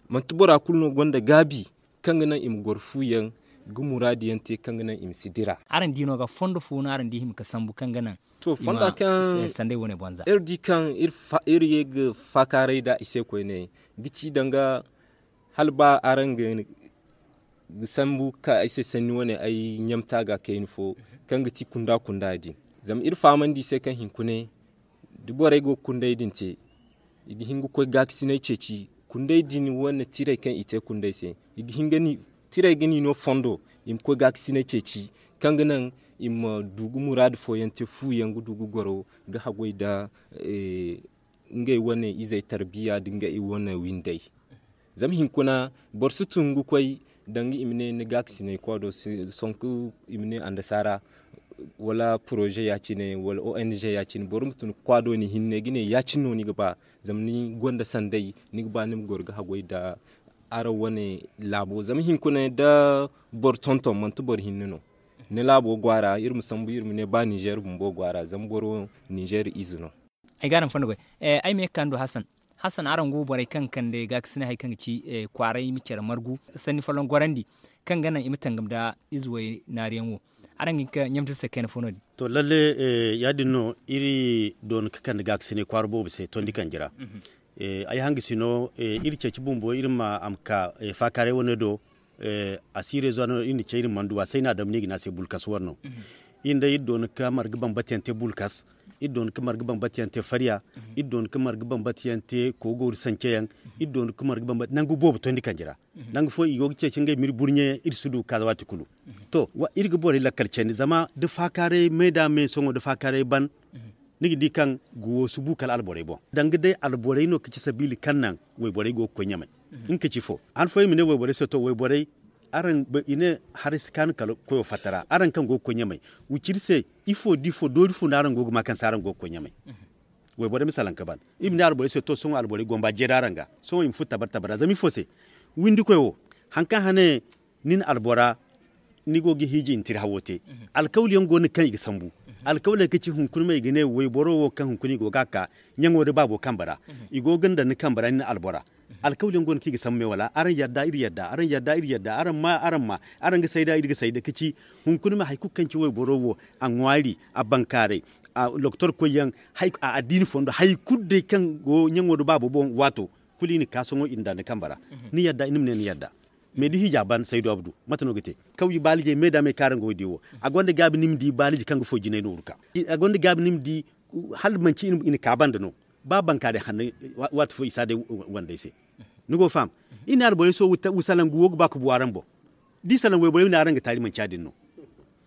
manti bora kulu no gonda gaabi kaŋ ga naŋ i ma goro fu yaŋ ga muraadu yaŋ te kaŋ ga naŋ i ma si dira. Araŋ di no ga fondo fo no araŋ di hima ga sambu kaŋ ga naŋ to fonda kaŋ sanday wane banza iri di kaŋ iri ye ga faakaaray nda i se koyne ga ci danga hala ba araŋ ga sambu ga ka ay se sanni wane ay ɲamta ga kayna fo kaŋ ga ti kunda kunda din. Zama iri fahamandi i se kaŋ hinkune da borey go ga kunday din te i ga hin ga koy gaakasinay ceeci kunday din wane tiray kaŋ i te kunday se i ga hin ga ni tiray ga ni no fondo i ma koy gaakasinay ceeci kaŋ ga naŋ i ma du ga muraadu fooyaŋ te fu yaŋ ga du ga goro ga haggoy nda ngey wane izey tarbiya nda ngey wane windey. Zama hinkuna boro si tun ga koy danga i ma ne ni gaakasinay koy do sonku i ma ne andasaara Wala poroze ya- cine wala o n g ya- cine boro ma tun kwaado ni hinne ga ne ya- cine no ni ga ba. Zama ni gonda sanday ni ga ba ni ma goro ga haggoy nda araŋ wane laabo zama hinkuna da boro tonton manti boro hinne no. Ni laabo go a ra iri ma sambu iri ma ne ba ninzeer bumbo go a ra zama boro ninzeer ize no. Ay ga araŋ fondo goy. Ay ma ye ga ka ni do hasan. Hasan araŋ go borey kaŋ ga kande gaakasinay hari kaŋ ga ci kwaaray ma care margu sanni folloŋ gorandi kaŋ ga naŋ i ma tangam nda ize way naariyaŋ wo. Araŋ ga hin ka ɲamtir se kayna fo no- din. To lalle, ya- din no iri doona ga kande gaakasinay kwaara boobo se tondi kanji ra. Ay hangasi no iri ceeci bumbo iri ma a ma ka faakaaray wane do. A si reezo no iri na ce iri mana du a se ay na a dam no i ga ne a se bulkas war no. Iri day iri doona ga marga bambata yaŋ te bulkas. Iri doona ga marga bambata yaŋ te farya. Iri doona ga marga bambata yaŋ te koogooru sance yaŋ. Iri doona ga marga bambata nangu boobo tondi kanji ra. Nangu fo i go ga ceeci ngey ma iri burɲe yaŋ iri si du ga ka waati kulu. To iri ga borey lakkal candi zama da faakaaray me da me sohõ da faakaaray ban. Ni ga di kaŋ guwo si bu kala alborey boŋ danga day alborey no ga ci sabiili kaŋ naŋ wayborey go ga koy ɲamay. Nga ka ci fo han fooyaŋ i ma ne wayborey se to wayborey, i ne haray si kaanu kala koyo fatta ra araŋ kaŋ go ga koy ɲamay. Wiciri se ifo da ifo doori fo no araŋ go ga ma kaŋ se araŋ go ga koy ɲamay? Wayborey ma salaŋ ga ban i ma ne alborey se to sohõ alborey gomba jeeri araŋ ga. Sohõ i ma furo tabar tabar ra zama ifo se windikoy wo, hari kaŋ hane nin albora ni go ga hiiji i na tira hawo te. Alkawli yaŋ go no kaŋ i ga sambu. Alkawley ga ci hunkuna me i ga ne wayboro wo kaŋ hunkuna i go ga a ka ɲaŋo nda baabo kambe ra. I go ga ni daŋ ni kambe ra nin albora. Alkawli yaŋ go no kaŋ i ga sambu me wala araŋ yadda iri yadda araŋ yadda iri yadda araŋ ma araŋ ma araŋ ga sayda iri ga sayda ga ci hunkuna me hari kulu kaŋ ci wayboro wo a ŋwaari a bankaaray a lokotor koy yaŋ a addiini fondo hari kulu day kaŋ go ɲaŋo nda baabo boŋ waato kulu i na ka sohõ i na daŋ ni kambe ra. Ni yadda ni ma ne ni yadda. Me da hiija ban saydu abdu mate no ga te? Kawyi baalijey me da me kaŋ araŋ go ga di wo a gonda gaabi ni ma di baaliji kaŋ ga foy jinay nooru ka. A gonda gaabi ni ma di hala manci i na ka banda no. Ba bankaarey hanno waati fo i si a day wandey se. Ni go ga faham? Iri ne alborey sohõ wusalangu wo ga ba ga bu araŋ boŋ. Da i salaŋ wayborey ma ne araŋ ga taali manci ya- din no.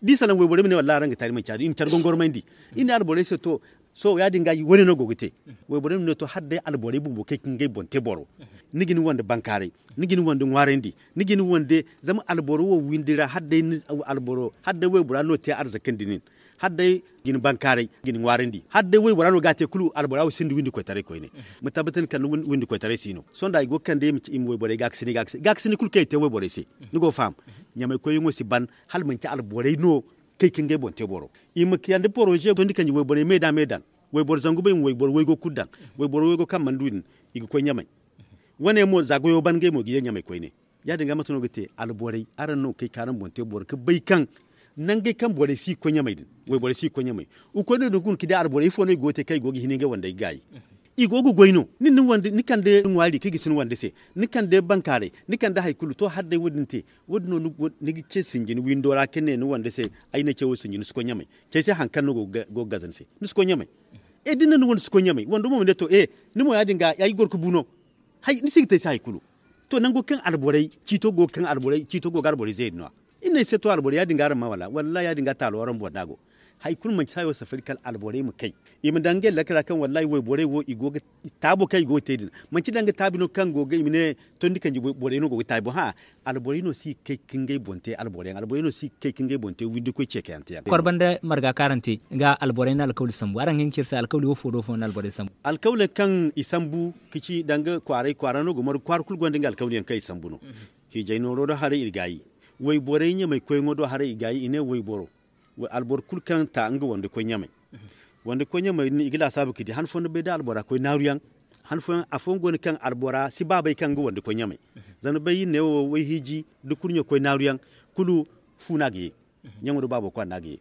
Da i salaŋ wayborey ma ne wallahi araŋ ga taali manci ya- din i ma care gongormandi. Iri ne alborey se to sohõ ya- din ga wane no go ga te? Wayborey ma ne to hala day alborey bumbo kaŋ i ga ngey boŋ te boro. Ni ga ni wande bankaaray, ni ga ni wande ŋwaarandi, ni ga ni wande zama alboro wo windi ra hala day alboro hala day waybora no te arzakandi nin. Hala day ga ni bankaaray ga ni ŋwaarandi hala day waybora no ga a te kulu albora wo sinda windi koytaray koyne. Ma tabbatandi kala ni windi koytaray si no sohõ da i go ga kande i ma wayborey gaakasinay gaakasinay kulu kaŋ i te wayborey se. Ni go ga faham? Ɲamay koyyaŋo si ban hala manci alborey no kaŋ i ga ngey boŋ te boro. I ma kiyandi poroze tondi kanji wayborey me da me daŋ. Wayboro zangu bay ma wayboro waygo kulu daŋ. Wayboro waygo kaŋ mana du din i ga koy ɲamay. Wane mo za goyo ban ngey mo ga ye ɲamay koyne. Ya- din ga mate no ga te alborey araŋ no ga kay ka araŋ boŋ te boro ga bay kaŋ nangey kaŋ borey si ga koy ɲamay din. Wayborey si ga koy ɲamay. I koy no din ga guna ga di alborey ifo no i go ga te kaŋ i go ga hin ngey wandey ga gaayi. I go ga goy no ni kande ŋwaari kaŋ i ga si ni wande se, ni kande bankaaray, ni kande hari kulu to hala day wo- din te. Wo- din no ni ga ce sinji ni windo ra ka ne ni wande se ay na ce wo sinji ni si koy ɲamay. Cey se hari kaŋ no go ga gaza ni se ni si koy ɲamay. E da ni na ni wande si koy ɲamay wando mo ma ne to e ni mo ya- din ga ay goro ga bu no. Hay ni si ga te ay se hari kulu. To nango kaŋ alborey ciito go ga kaŋ alborey ciito go ga alborey zeeri no- ya. Iri ne ay se to alborey ya- din ga araŋ ma wala wallahi ya- din ga taalo araŋ boŋ no a go. Hari kulu manci sayo safari kala alborey ma kay. I ma daŋ ngey lakkala kaŋ wallahi wayborey wo i go ga taabo kaŋ i go ga te din manci danga taabi no kaŋ go ga i ma ne tondi kanji borey no go ga taabi boŋ hã. Alborey no si ga kay ka ngey boŋ te alborey yaŋ alborey no si ga kay ka ngey boŋ te windikoy ceekayante yaŋ. Korba nda marga kaŋ araŋ te ga alborey na alkawli sambu araŋ ga hin ga ci iri se alkawli wo fo do fo na alborey sambu? Alkawley kaŋ i sambu ga ci danga kwaaray kwaara no go margu kwaara kulu gonda nga alkawli yaŋ kaŋ i sambu no. Hiijay nooro do haray iri gaayi. Wayborey ɲamay koyyaŋo do haray i gaayi i ne wayboro alboro kulu kaŋ ta nga wande koy ɲamay. Wande koy ɲamay din i ga laasaabu ga di han fooyaŋ ni bay da albora koy naaru yaŋ. Han fooyaŋ afooyaŋ go no kaŋ albora si ba bay kaŋ nga wande koy ɲamay. Zama ni bay iri ne wo wayhiiji da kurɲo koy naaru yaŋ kulu fu no a ga ye. Ɲaŋo da baabo kwaara no a ga ye.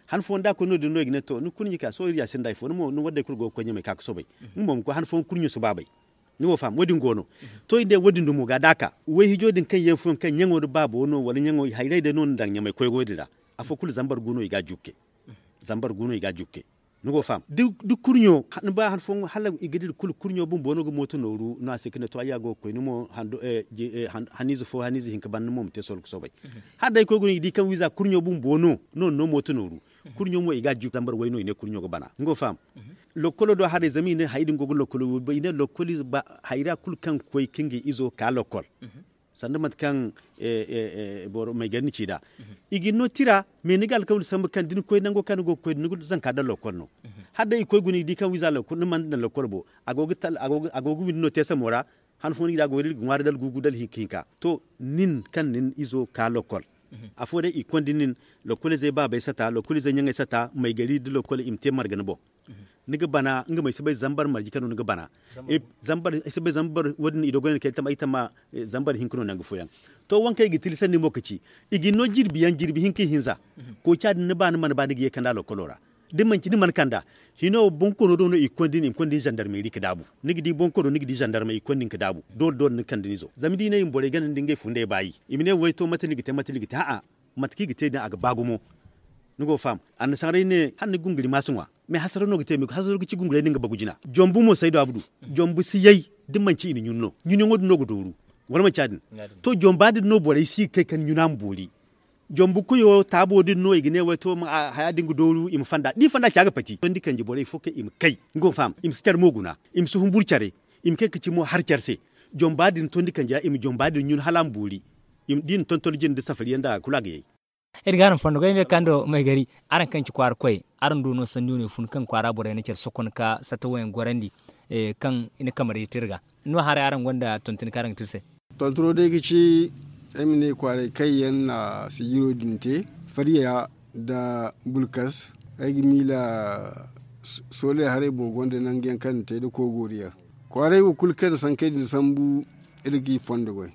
Han fooyaŋ da a koy no- din no i ga ne to ni kurɲi ka sohõ iri ya sinda hari fo ni mo ni wadday kulu go ga koy ɲamay ka ga soobay. Nga mo ma koy han fooyaŋ kurɲo si ba bay. Ni wo faham wo- din go no. To iri ne wo- din dumo ga da a ka wayhiijo din kaŋ yaŋ fooyaŋ kaŋ ɲaŋo da baabo no wala ɲaŋo hayray day no ni daŋ ɲamay koy go- din ra. Afo kulu zambar gu no i ga a jukke. Zambar gu no i ga a jukke. Ni go faham da kurɲo ni ba han fooyaŋ hala i ga dira kulu kurɲo bumbo no ga mooto nooru no a se ka ne to ay ya go ga koy ni mo haniize fo haniize hinka ban ni mo ma te solo ga soobay. Hala day koy ga no i ga di kaŋ wiiza kurɲo bumbo no no ni no mooto nooru. Kurɲo mo i ga a jukku zambar way no i ne kurɲo ga bana ni go faham. Lokkolo do haray zama i ne hari din go ga lokkolo wurba i ne lokkol ize ba hayra kulu kaŋ ga koy ka nga izo ka lokkol. Sanda mate kaŋ maygari ni ci nd'a, i ga ni no tira. Mais ni ga alkawli sambu kaŋ da ni koy nango kaŋ ni go ga koy da ni ga zanka daŋ lokol no. Hala day i koy guna i di kaŋ wiiza lokol ni mana daŋ lokol bo. A go ga windi no te samo ra. Han fooyaŋ ni ga di a go ga iri ga ŋwaari dala guugu dala hinka hinka. To, nin kaŋ nin izo ka lokol, afo day i ga konda nin. Lokolizey baabey sata, lokolizey ɲaŋey sata, maygari nda lokol i ma te marga ni boŋ. Ni ga bana nga mo ay si bay zambar marje kaŋ no ni ga bana. Zambar wo- din i dogonay ni kay tamma ay tamma. Zambar hinka no nangu fooyaŋ. To, waŋ kaŋ i ga tilasandi mo ga ci, i ga ni no jirbi yaŋ jirbi hinka ihinza. Kooca din ni ba ni mana ba ni ga ye kand'a lokolo ra. Da manci ni mana kand'a, hino bonkoono do no i ga konda ni i ma konda ni zandarmeeri ga daabu. Ni ga di bonkoono ni ga di zandarmey i ga konda ni ga daabu. Doole doole ni ga kande ni zo zama da i ne i ma borey gana nda ngey fundey baayi, i ma ne way to mate no i ga te mate no i ga te a'a. Mate kaŋ i ga te din a ga ba gumo. Ni go ga faham. Annasaarey ne hala ni gunguri ma si ŋwa. Mais hasara no ga te mais hasaro ga ci gunguray din ga bagu jina. Jombu mo saydu abdu, jombu si yay da manci i na ɲun no ɲunyaŋo din no ga dooru. Wala manci ya- din? To, jomba din no borey si ga kay kala ɲuna ma boori. Jombu koyo taabo din no i ga ne way to haya din ga dooru i ma fanda da i fanda ci a ga pati tondi kanji borey fo kaŋ i ma kay, ni go ga faham, i ma si care mo guna, i ma si humburu care, i ma kay ga ci mo hari care se. Jomba din tondi kanji ra i ma jomba din ɲun hala a ma boori. Da i na tonton jine nda safari yaŋ nda kulu a ga yay. Iri ga araŋ fondo goy me kaŋ do maygari. Araŋ kaŋ ci kwaara koy, araŋ du no sanni wane fun kaŋ kwaara borey na care sokon ka satta wayaŋ gorandi, kaŋ i na kamar yeti iri ga. No haray araŋ gonda tontoni kaŋ araŋ ga te iri se? Tontoro day ga ci ay ma ne kwaaray kaŋ yaŋ na sijiro din te, fariya nda bulkas. Ay ga miila soolay haray boŋ gonda nangu yaŋ kaŋ na te nda koy goori yaŋ. Kwaaray wo kulu kaŋ na sankey din sambu, iri ga i fondo goy.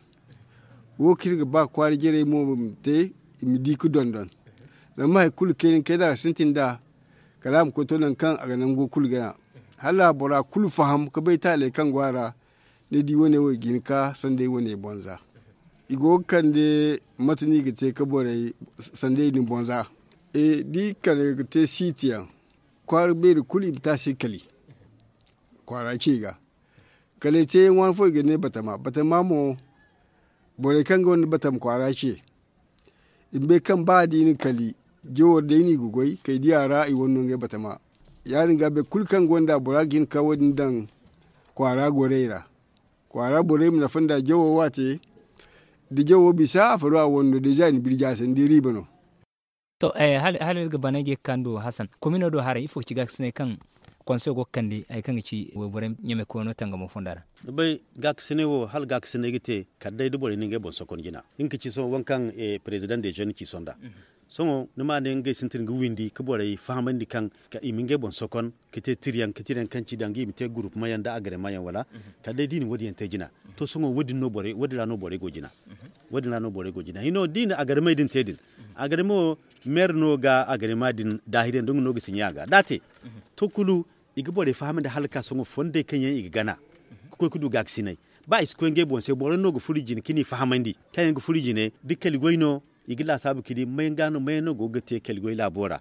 Wo kaŋ iri ga ba kwaara jarey mo ma te, i ma di ga dondon. Zama hari kulu kayna kayna a ga sintin nd'a, kala a ma koy to nangu kaŋ a ga nango kulu gana. Hala bora kulu faham ga bay taaley kaŋ go a ra. Ni di wane wo i ga hin ga ka sanday wane bonza. I go ga kande mate no i ga te ga borey sanday din bonza. Da i kande ga te siiti yaŋ, kwaara beeri kulu i ma te a se kali. Kwaara ce ga kala i te yaŋ waani fo i ga ne batama batama mo. Borey kaŋ gonda batama kwaara ce, i ma bay kaŋ ba da i na kali, jawo day no i ga goy kay diya ra i wane no ngey batama. Ya- din ga boro kulu kaŋ gonda bora ga hin ga ka wo- din daŋ kwaara gorey ra. Kwaara borey ma nafa nda jawo wo a te. Da jawo bisa a faro a wane no deeza i na birja a se ni di riiba no. To, hala iri ga baney ga ye ga ka ni do hasan komino do haray ifo ga ci gaakasinay kaŋ konseyo go ga kande hari kaŋ ga ci wayborey ɲamay koyno tangamo fonda ra? Ni bay, gaakasinay wo hala gaakasinay ga te kala day da borey na ngey boŋ sokon jina. Nga ga ci sohõ waŋ kaŋ perezidaŋ de jeune ci sonda. Sohõ ni ma ne ngey sintin ga windi ga borey fahamandi kaŋ i ma ngey boŋ sokon ga te tiriyaŋ ga tiriyaŋ kaŋ ci danga i ma te gurupmayaŋ nda agreemayaŋ wala? Kala day da i na wo- din yaŋ te jina. To sohõ wo- din ra no borey go jina. Wo- din ra no borey go jina hino da i na agreemey din te din. Agreemo wo, meer no ga agreema din daahir yaŋ da nga no ga siɲe a ga da a te. To kulu, i ga borey fahamandi hala ga ka sohõ fondey kaŋ yaŋ i ga gana ga koy ga du gaakasinay. Ba i si koy ngey boŋ se boro no ga furo i jine ka ni fahamandi kaŋ yaŋ ga furo i jine da kali goy no. I ga laasaabu ka di mayaŋ ga no mayaŋ no go ga te kali goy laabo ra.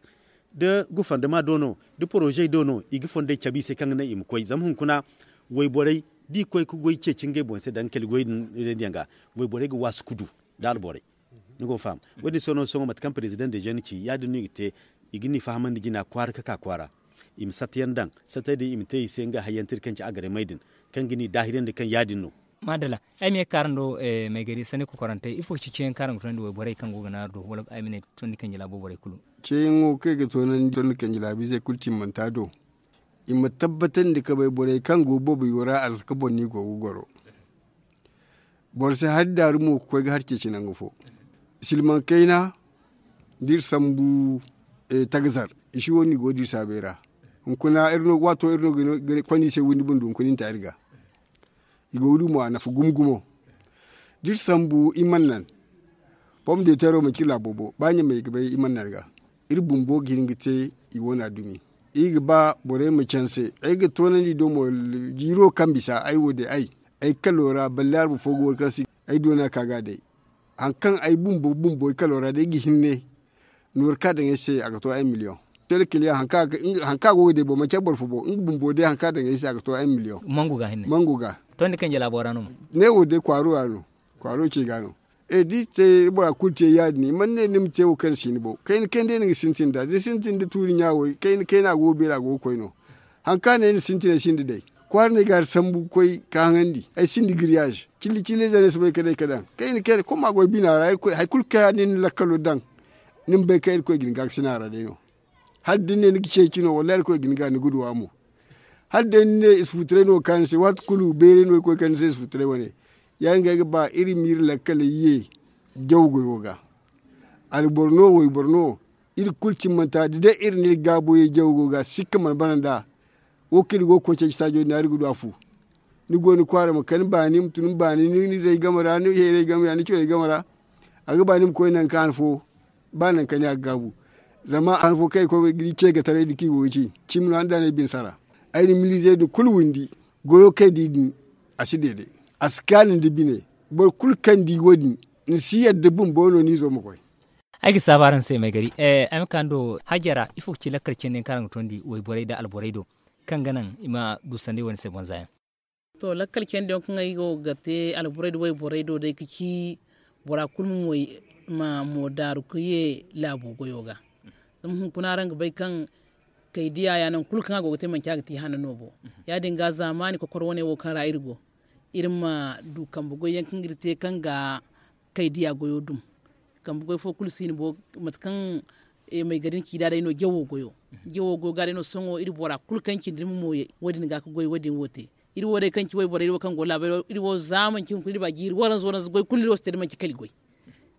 Da gufandama do no, da porozey do no i ga fondey cabe i se kaŋ ga naŋ i ma koy zama hunkuna wayborey da i koy ga goy ceeci ngey boŋ se danga kali goy din reendiyaŋ ga. Wayborey ga waasu ga du da alborey. Ni go ga faham? Wo- din se no sohõ mate kaŋ perezidaŋ de jeune ci ya- din no i ga te. I ga ni fahamandi jina kwaara ga ka kwaara. I ma satta yaŋ daŋ sattey din i ma te i se nga hayyaŋ tira kaŋ ci agreemey din, kaŋ ga ni daahirandi kaŋ ya- din no. Maadalla. Ay ma ye ga ka araŋ do, maygari sanni kokorantey ifo ga ci ceeyaŋ kaŋ araŋ ga toonandi wayborey kaŋ go ga naaru do wala ay ma ne tondi kanji laabo borey kulu? Ceeyaŋo kaŋ i ga toonandi tondi kanji laabiizey kulu timmanta do. I ma tabbatandi ga bay borey kaŋ go boobo yo ra alsaka boŋ no i go ga goro. Boro si hari daaru mo ga koy ga hari ceeci nangu fo. Silmaŋ kayna da iri sambu tagazar, i si wo no i go da iri saabay ra. Hunkuna iri no waato iri no ga konda i se windi bundu hunkuna i na ta iri ga. I go ga du mo a nafa gumo gumo. Da iri sambu i mana nan. Pom de teero manci iri laabo bo ba ɲamey ga bay i mana nan ga. Iri bumbo ga hin ga te i wane a dumi. I ga ba borey ma canse ay ga toonandi do mo. Jiiro kaŋ bisa ay wo de ay ay kalo ra balle arba fo go wala kaŋ si ay doona ka ga day. Hari kaŋ ay bumbo bumbo ay kalo ra day ga hinne. Nooru kaŋ a daŋ ay se a ga to ay miliyoŋ. Tele kiliyaŋ hari kaŋ a go ga day bo manci ay boro fo bo nga bumbo day hari kaŋ a daŋ ay se a ga to ay miliyoŋ. Mangu ga hinne mangu ga. Tondi kaŋ jala bora no mo. Ne wo day kwaaro ra no. Kwaaro ce ga no. E da i te bora kulu te ya- din i mana ne ni ma te wo kaŋ ni si ni boŋ kayna kayna day no ga sintin nd'a da ni sintin da tuuri ɲa wo kayna kayna a go ga beeri a go ga koy no. Hari kaŋ a ne ni sintin ay sinda day. Kwaara no ay ga hari sambu ga koy ka haŋandi ay sinda giriyaz. Cille cille ize no ay si bay ka day ka daŋ kaŋ i na kay da koma goy bina ra. Hari kulu kaŋ yaŋ no ni na lakkalo daŋ, ni ma bay kaŋ irkoy ga ni gaakasina ra day no. Hala da ni ne ni ga ceeci no wallaahi irkoy ga ni ga ni ga duw'a mo. Hala day ni ne isfutaray no ga ka ni se waati kulu bayray no irkoy kande ni se isfutaray wane. Ya- din ga ay ga ba iri ma iri lakkaley ye jaw goyo ga. Alboro no wayboro no, iri kulu cimmanta da day iri na iri gaabo ye jaw goyo ga sikka mana bana nd'a. Wo kaŋ iri go ga koy ceeci saajo din ra iri ga du a fu. Ni go ni kwaara ma kani baani ma tun baani ni zay game ra ni heeray game ya ni corey game ra. A ga ba ni ma koy nangu kaŋ han fo ba nangu kaŋ ni a ga gaabu. Zama han fo kaŋ ay koy ga di ceegataray din kaŋ i go ga ci cimi no han da no ay bine sara. Ay na miliizey din kulu windi. Goyo kaŋ ay di din, a si deede. A si kaanu nda bine. Boro kulu kaŋ di wo- din, ni si yadda bumbo no ni izo ma koy. Ay ga saabu araŋ se may gari. Ay ma ka ni do hajara ifo ga ci lakkal cindi yaŋ kaŋ araŋ ga tondi wayborey nda alborey do, kaŋ ga naŋ i ma du sanday wane se bonza yaŋ? To lakkal candi yaŋ kaŋ ay go ga te alborey nda wayborey do day ga ci bora kulu ma moy ma mo daaru ga ye laabo goyo ga. Zama hunkuna araŋ ga bay kaŋ kay diya ya nangu kulu kaŋ a go ga te manci a ga te hana no bo. Ya- din ga zaamaani kokoro wane wo kaŋ ra iri go, iri ma du kambe goy yaŋ kaŋ iri te kaŋ ga kay diya goyo dum. Kambe goy fo kulu si ni bo mate kaŋ may gari ni ci da day no jawo goyo. Jawo goyo ga day no sohõ iri bora kulu kaŋ cindi ni ma mooyey wo- din ga ga goy wo- din wo te. Iri wo day kaŋ ci wayborey wo kaŋ go laabey iri wo za manci hunkuna iri ba jiiri waranza waranza goy kulu iri wo si te da manci kali goy.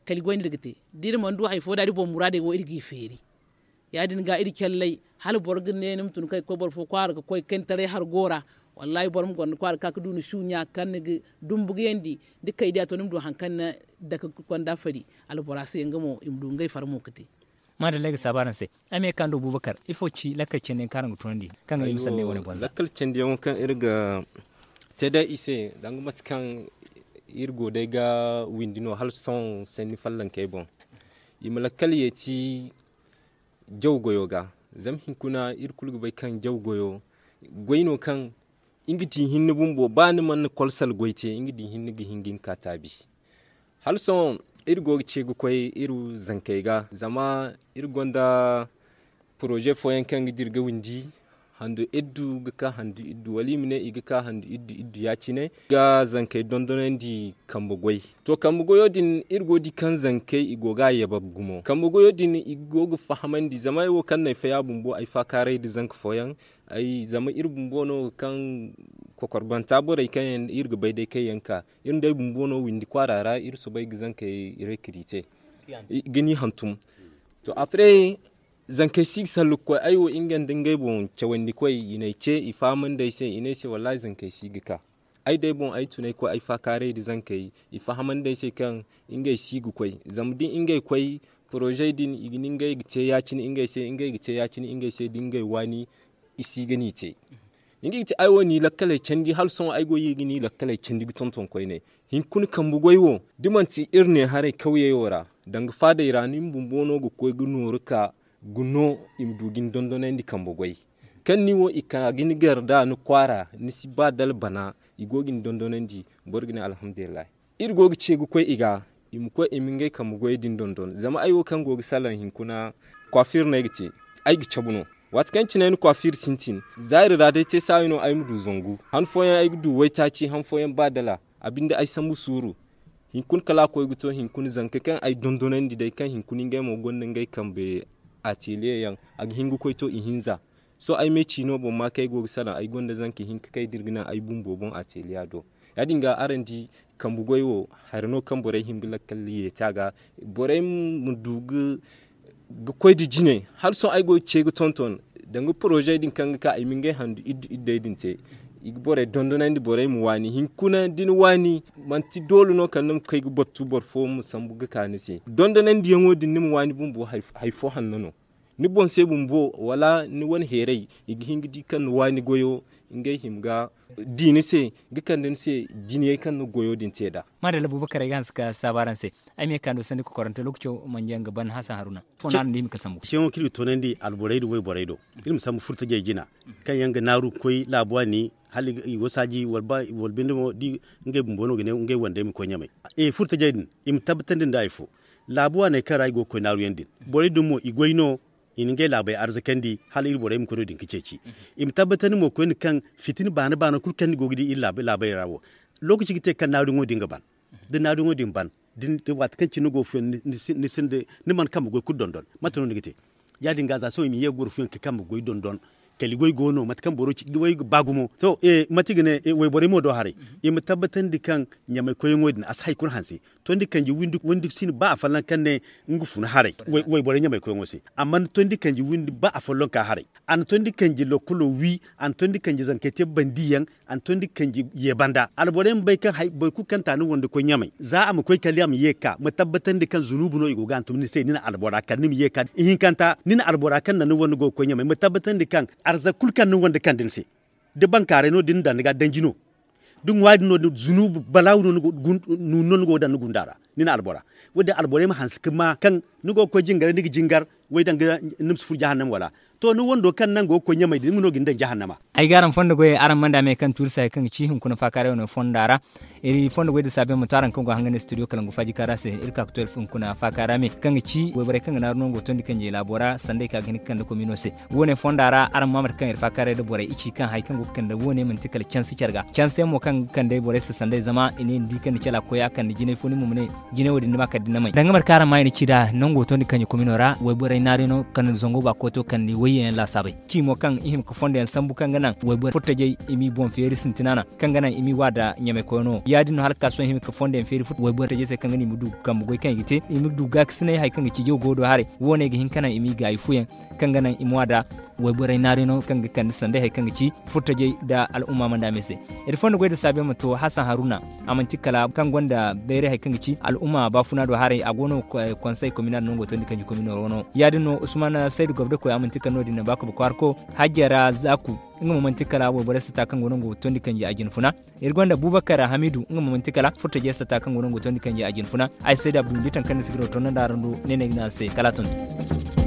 Kali goy no iri ga te da iri mana du hari fo da iri boŋ muraadey wo iri g'i feeri. Ya- din ga iri calley hala boro ga ne ni ma tun kaŋ ga koy boro fo kwaara ga koy kaŋ ni taray hargo ra. Wallaahi boro ma gonda kwaara ga ka ga du ni suuɲa kaŋ ni ga dumbu ga yandi da kay diya to ni ma du hari kaŋ ni dake ga konda fari albora se nga mo i ma du ngey farmo ga te. Maadalla ay ga saabu araŋ se. Ay ma ye ga ka ni do bubakar ifo ci lakkal candi yaŋ kaŋ araŋ ga tunandi kaŋ ga ay ma sanda ay wane bonza? Lakkal candi yaŋo kaŋ iri ga te day i se danga mate kaŋ iri go day ga windi no hala sohõ sanni fallankey boŋ. I ma lakkal yeeti jaw goyo ga. Zama hinkuna iri kulu ga bay kaŋ jaw goyo goy no kaŋ nga di hinne bumbo ba ni mana kolsal goy te nga di hinne ga hin ga ni ka taabi. Hala sohõ iri go ga ce ga koy iri zankey ga zama iri gonda poroze fooyaŋ kaŋ ga dira ga windi handu iddu ga ka handu iddu wala i ma ne i ga ka handu iddu iddu ya- cine ga zankey dondonandi kambe goy. To kambe goyo din iri go ga di kaŋ zankey i go ga a yabab gumo kambe goyo din i go ga fahamandi zama ay wo kaŋ no ay faya bumbo ay faakaaray nda zanka fooyaŋ. Zama iri bumbo no kaŋ kokorbanta borey kaŋ yaŋ iri ga bay day kaŋ yaŋ ka iri nda ay bumbo no windi kwaara ra iri soobay ga zankey rekirite ga ni hantum. To après zankey si ga sallu ga koy ay wo nga nda ngey boŋ cawandi koy i n'ay ce i fahamandi ay se i ne ay se wallaahi zankey si ga ka. Ay day boŋ ay tun ay koy ay faakaaray nda zankey i fahamandi ay se kaŋ ngey si ga koy zama da ngey koy porozey din i ga ne ngey ga te ya-cine ngey se ngey ga te ya-cine ngey se da ngey waani i si ga ni te. Nga ga ti ay wo ni lakkaley candi hala sohõ ay go ga ni lakkaley candi ga tonton koyne. Hinkuna kambe goy wo da manti iri ne haray kawyey wo ra danga faadey ra ni bumbo no ga koy ga nooru ka ga no i ma du ga ni dondonandi kambe goy. Kaŋ ni wo i ka ga ni gar nd'a ni kwaara ni si ba dala bana i go ga ni dondonandi. Boro ga ne alhamdulillahi. Iri go ga ce ga koy i ga i ma koy i ma ngey kambe goyey din dondon zama ay wo kaŋ go ga salaŋ hinkuna kwafir no ay ga te. Ay ga cabu no waati kaŋ cine ay na kwafir sintin zaari ra day te saayo no ay ma du zangu han fooyaŋ ay ga du waytaaci han fooyaŋ ba dala a binde ay sambu suuru. Hinkuna kala a koy ga to hinkuna zanka kaŋ ay dondonandi day kaŋ hinkuna ngey mo gonda ngey kambe ateliye yaŋ a ga hin ga koy to ihinza. Sohõ ay me ciino boŋ ma kaŋ ay go ga salaŋ ay gonda zanka hinka kaŋ ay dira ga naŋ ay bumbo boŋ ateliya do. Ya- din ga araŋ di kambe goy wo hari no kaŋ borey hin ga lakkal yeeti a ga borey ma du ga koy nda jine. Hala sohõ ay go ga ce ga tonton danga porozey din kaŋ ga ka ay ma ngey handu iddu iddey din te. I ga borey dondonandi borey ma waani hinkuna da ni waani manti doole no kala ni ma kay ga battu boro fo ma sambu ga ka ni se dondonandiyaŋo din ni ma waani bumbo hari fo hanno no. Ni boŋ se bumbo wala ni wane heeray i ga hin ga di kaŋ ni waani goyo ngey hima ga di ni se ga kande ni se jinayey kaŋ ni goyo din te nd'a. Maadalla bubakar ay ga hanse ka saabu araŋ se. Ay ma ye ga ka ni do sanni kokorante lookaco mana jaŋ ga ban hasan haruna. Fo no araŋ du hima ga sambu ceeyaŋo kaŋ iri ga toonandi alborey nda wayborey do iri ma sambu furtajey jina kaŋ yaŋ ga naaru ga koy laabu waani hala i go saaji wala binde mo da ngey bumbo no ga ne ngey wandey ma koy ɲamay. Furtajey din i ma tabbatandi nda hari fo laabu waaney kaŋ ra i go ga koy naaruyaŋ din borey din mo i goy no. i na ngey laabey arzakandi hala iri borey ma koy no- din ga ceeci. I ma tabbatandi mo koyne kaŋ fitina baana baana kulu kaŋ ni go ga di iri laabey ra wo, lookaci ga te kaŋ naaruyaŋo din ga ban. Da naaruyaŋo din ban, waati kaŋ cine ni go ga fuyaŋ, ni mana kambe goy kulu dondon, mate no ni ga te? Ya- din ga za sohõ i ma ye ga goro fuyaŋ ga kambe goy dondon. Kali goy go no mate kaŋ boro ci ga ba gumo to, mate i ga ne wayborey mo do haray. I ma tabbatandi kaŋ ɲamay koyyaŋo din a si hari kulu hanse. Tondi kanji windi si no ba afolloŋ kaŋ ne nga fun haray wayborey ɲamay koyyaŋo se. Amma ni tondi kanji windi ba afolloŋ ka haray, a na tondi kanji lokkolo wi, a na tondi kanji zankey te bandiyaŋ, a na tondi kanji ye banda. Alborey ma bay kaŋ boro kulu kaŋ ta ni wande koy ɲamay za a ma koy kala a ma ye ga ka ma tabbatandi kaŋ zunubu no i go ga hantum ni se ni na albora kala ni ma ye ga ka ihinkanta ni na albora kaŋ naŋ ni wande go ga koy ɲamay ma tabbatandi kaŋ arzaka kulu kaŋ ni wande kande ni se. Da bankaaray no da ni na daŋ ni ga danji no da ŋwaari no da zunubu balaawu no ni go ga daŋ ni gunda ra. Ni na albora wo- din alborey ma hanse ga ma kaŋ ni go ga koy jingaray ni ga jingar way danga ni ma si furo jahannama wala? To ni wando kaŋ naŋ go ga koy ɲamay din nga no ga ni daŋ jahannama. Ay ga araŋ fondo goyey araŋ mana daamey kaŋ tuuri se hari kaŋ ga ci hunkuna faakaaray wane fonda ra. Iri fondo goy da saabiyaŋ ma to araŋ kaŋ go ga hangan studio kalangu faaji kaara se iri ka ga to iri hunkuna faakaara me kaŋ ga ci wayborey kaŋ ga naaru no nga go tondi kanjey laabo ra sanday kaŋ a ga hin ga kande komino se. Wo- ne fonda ra araŋ ma mate kaŋ iri faakaaray nda borey i ci kaŋ hari kaŋ go ga kande wo- ne manti kala canse care ga canse yaŋ mo kaŋ ga kande borey se sanday zama i ne ni di kaŋ ni cala ga koy a kande jinay fo ni mo ma ne jinay wo- din ni ma kala da ni na may danga mate kaŋ araŋ ma i na ci nd'a nango tondi kanji komino ra wayborey naaru yaŋ no kande zango ba kooto kande wayyaŋ yaŋ laasaabey ci mo kaŋ i hima ga fondo yaŋ sambu kaŋ ga naŋ wayboro furtajey i m'i boŋ feeri sintina naŋ kaŋ ga naŋ i m'i wa nda ɲamay koyno ya- din no hala ga ka sohõ i hima ga fondo yaŋ feeri wayborey se kaŋ ga naŋ i ma du kambe goy kaŋ i ga te i ma du gaakasinay hari kaŋ ga ci jaw go do haray wo- ne ga hin ga naŋ i m'i gaayi fuyaŋ kaŋ ga naŋ i ma wa nda wayborey naaru yaŋ no kaŋ ga kande sanday hari kaŋ ga ci furtajey nda al'umma mana daamey se. Iri fondo goy nda saabiyaŋ ma to hasan haruna a manti kala kaŋ gonda bayray hari kaŋ ga ci al'umma baafuna do haray a go no konsey kominal nango tondi kanji komino ra wano ya- din no usman saydu gobda koy a manti kala no- din no ba ka ba kwaarko hajjara zaaku nga mo manti kala wayborey sata kaŋ go no nga tondi kanji a jinfuna. Iri gonda bubakar hamidu nga mo manti kala furtajey sata kaŋ go no nga tondi kanji a jinfuna. Ay saydu abdu ni di taŋ kaŋ ni si ga do to no nda araŋ du ne no ay ga ne araŋ se kala a tun.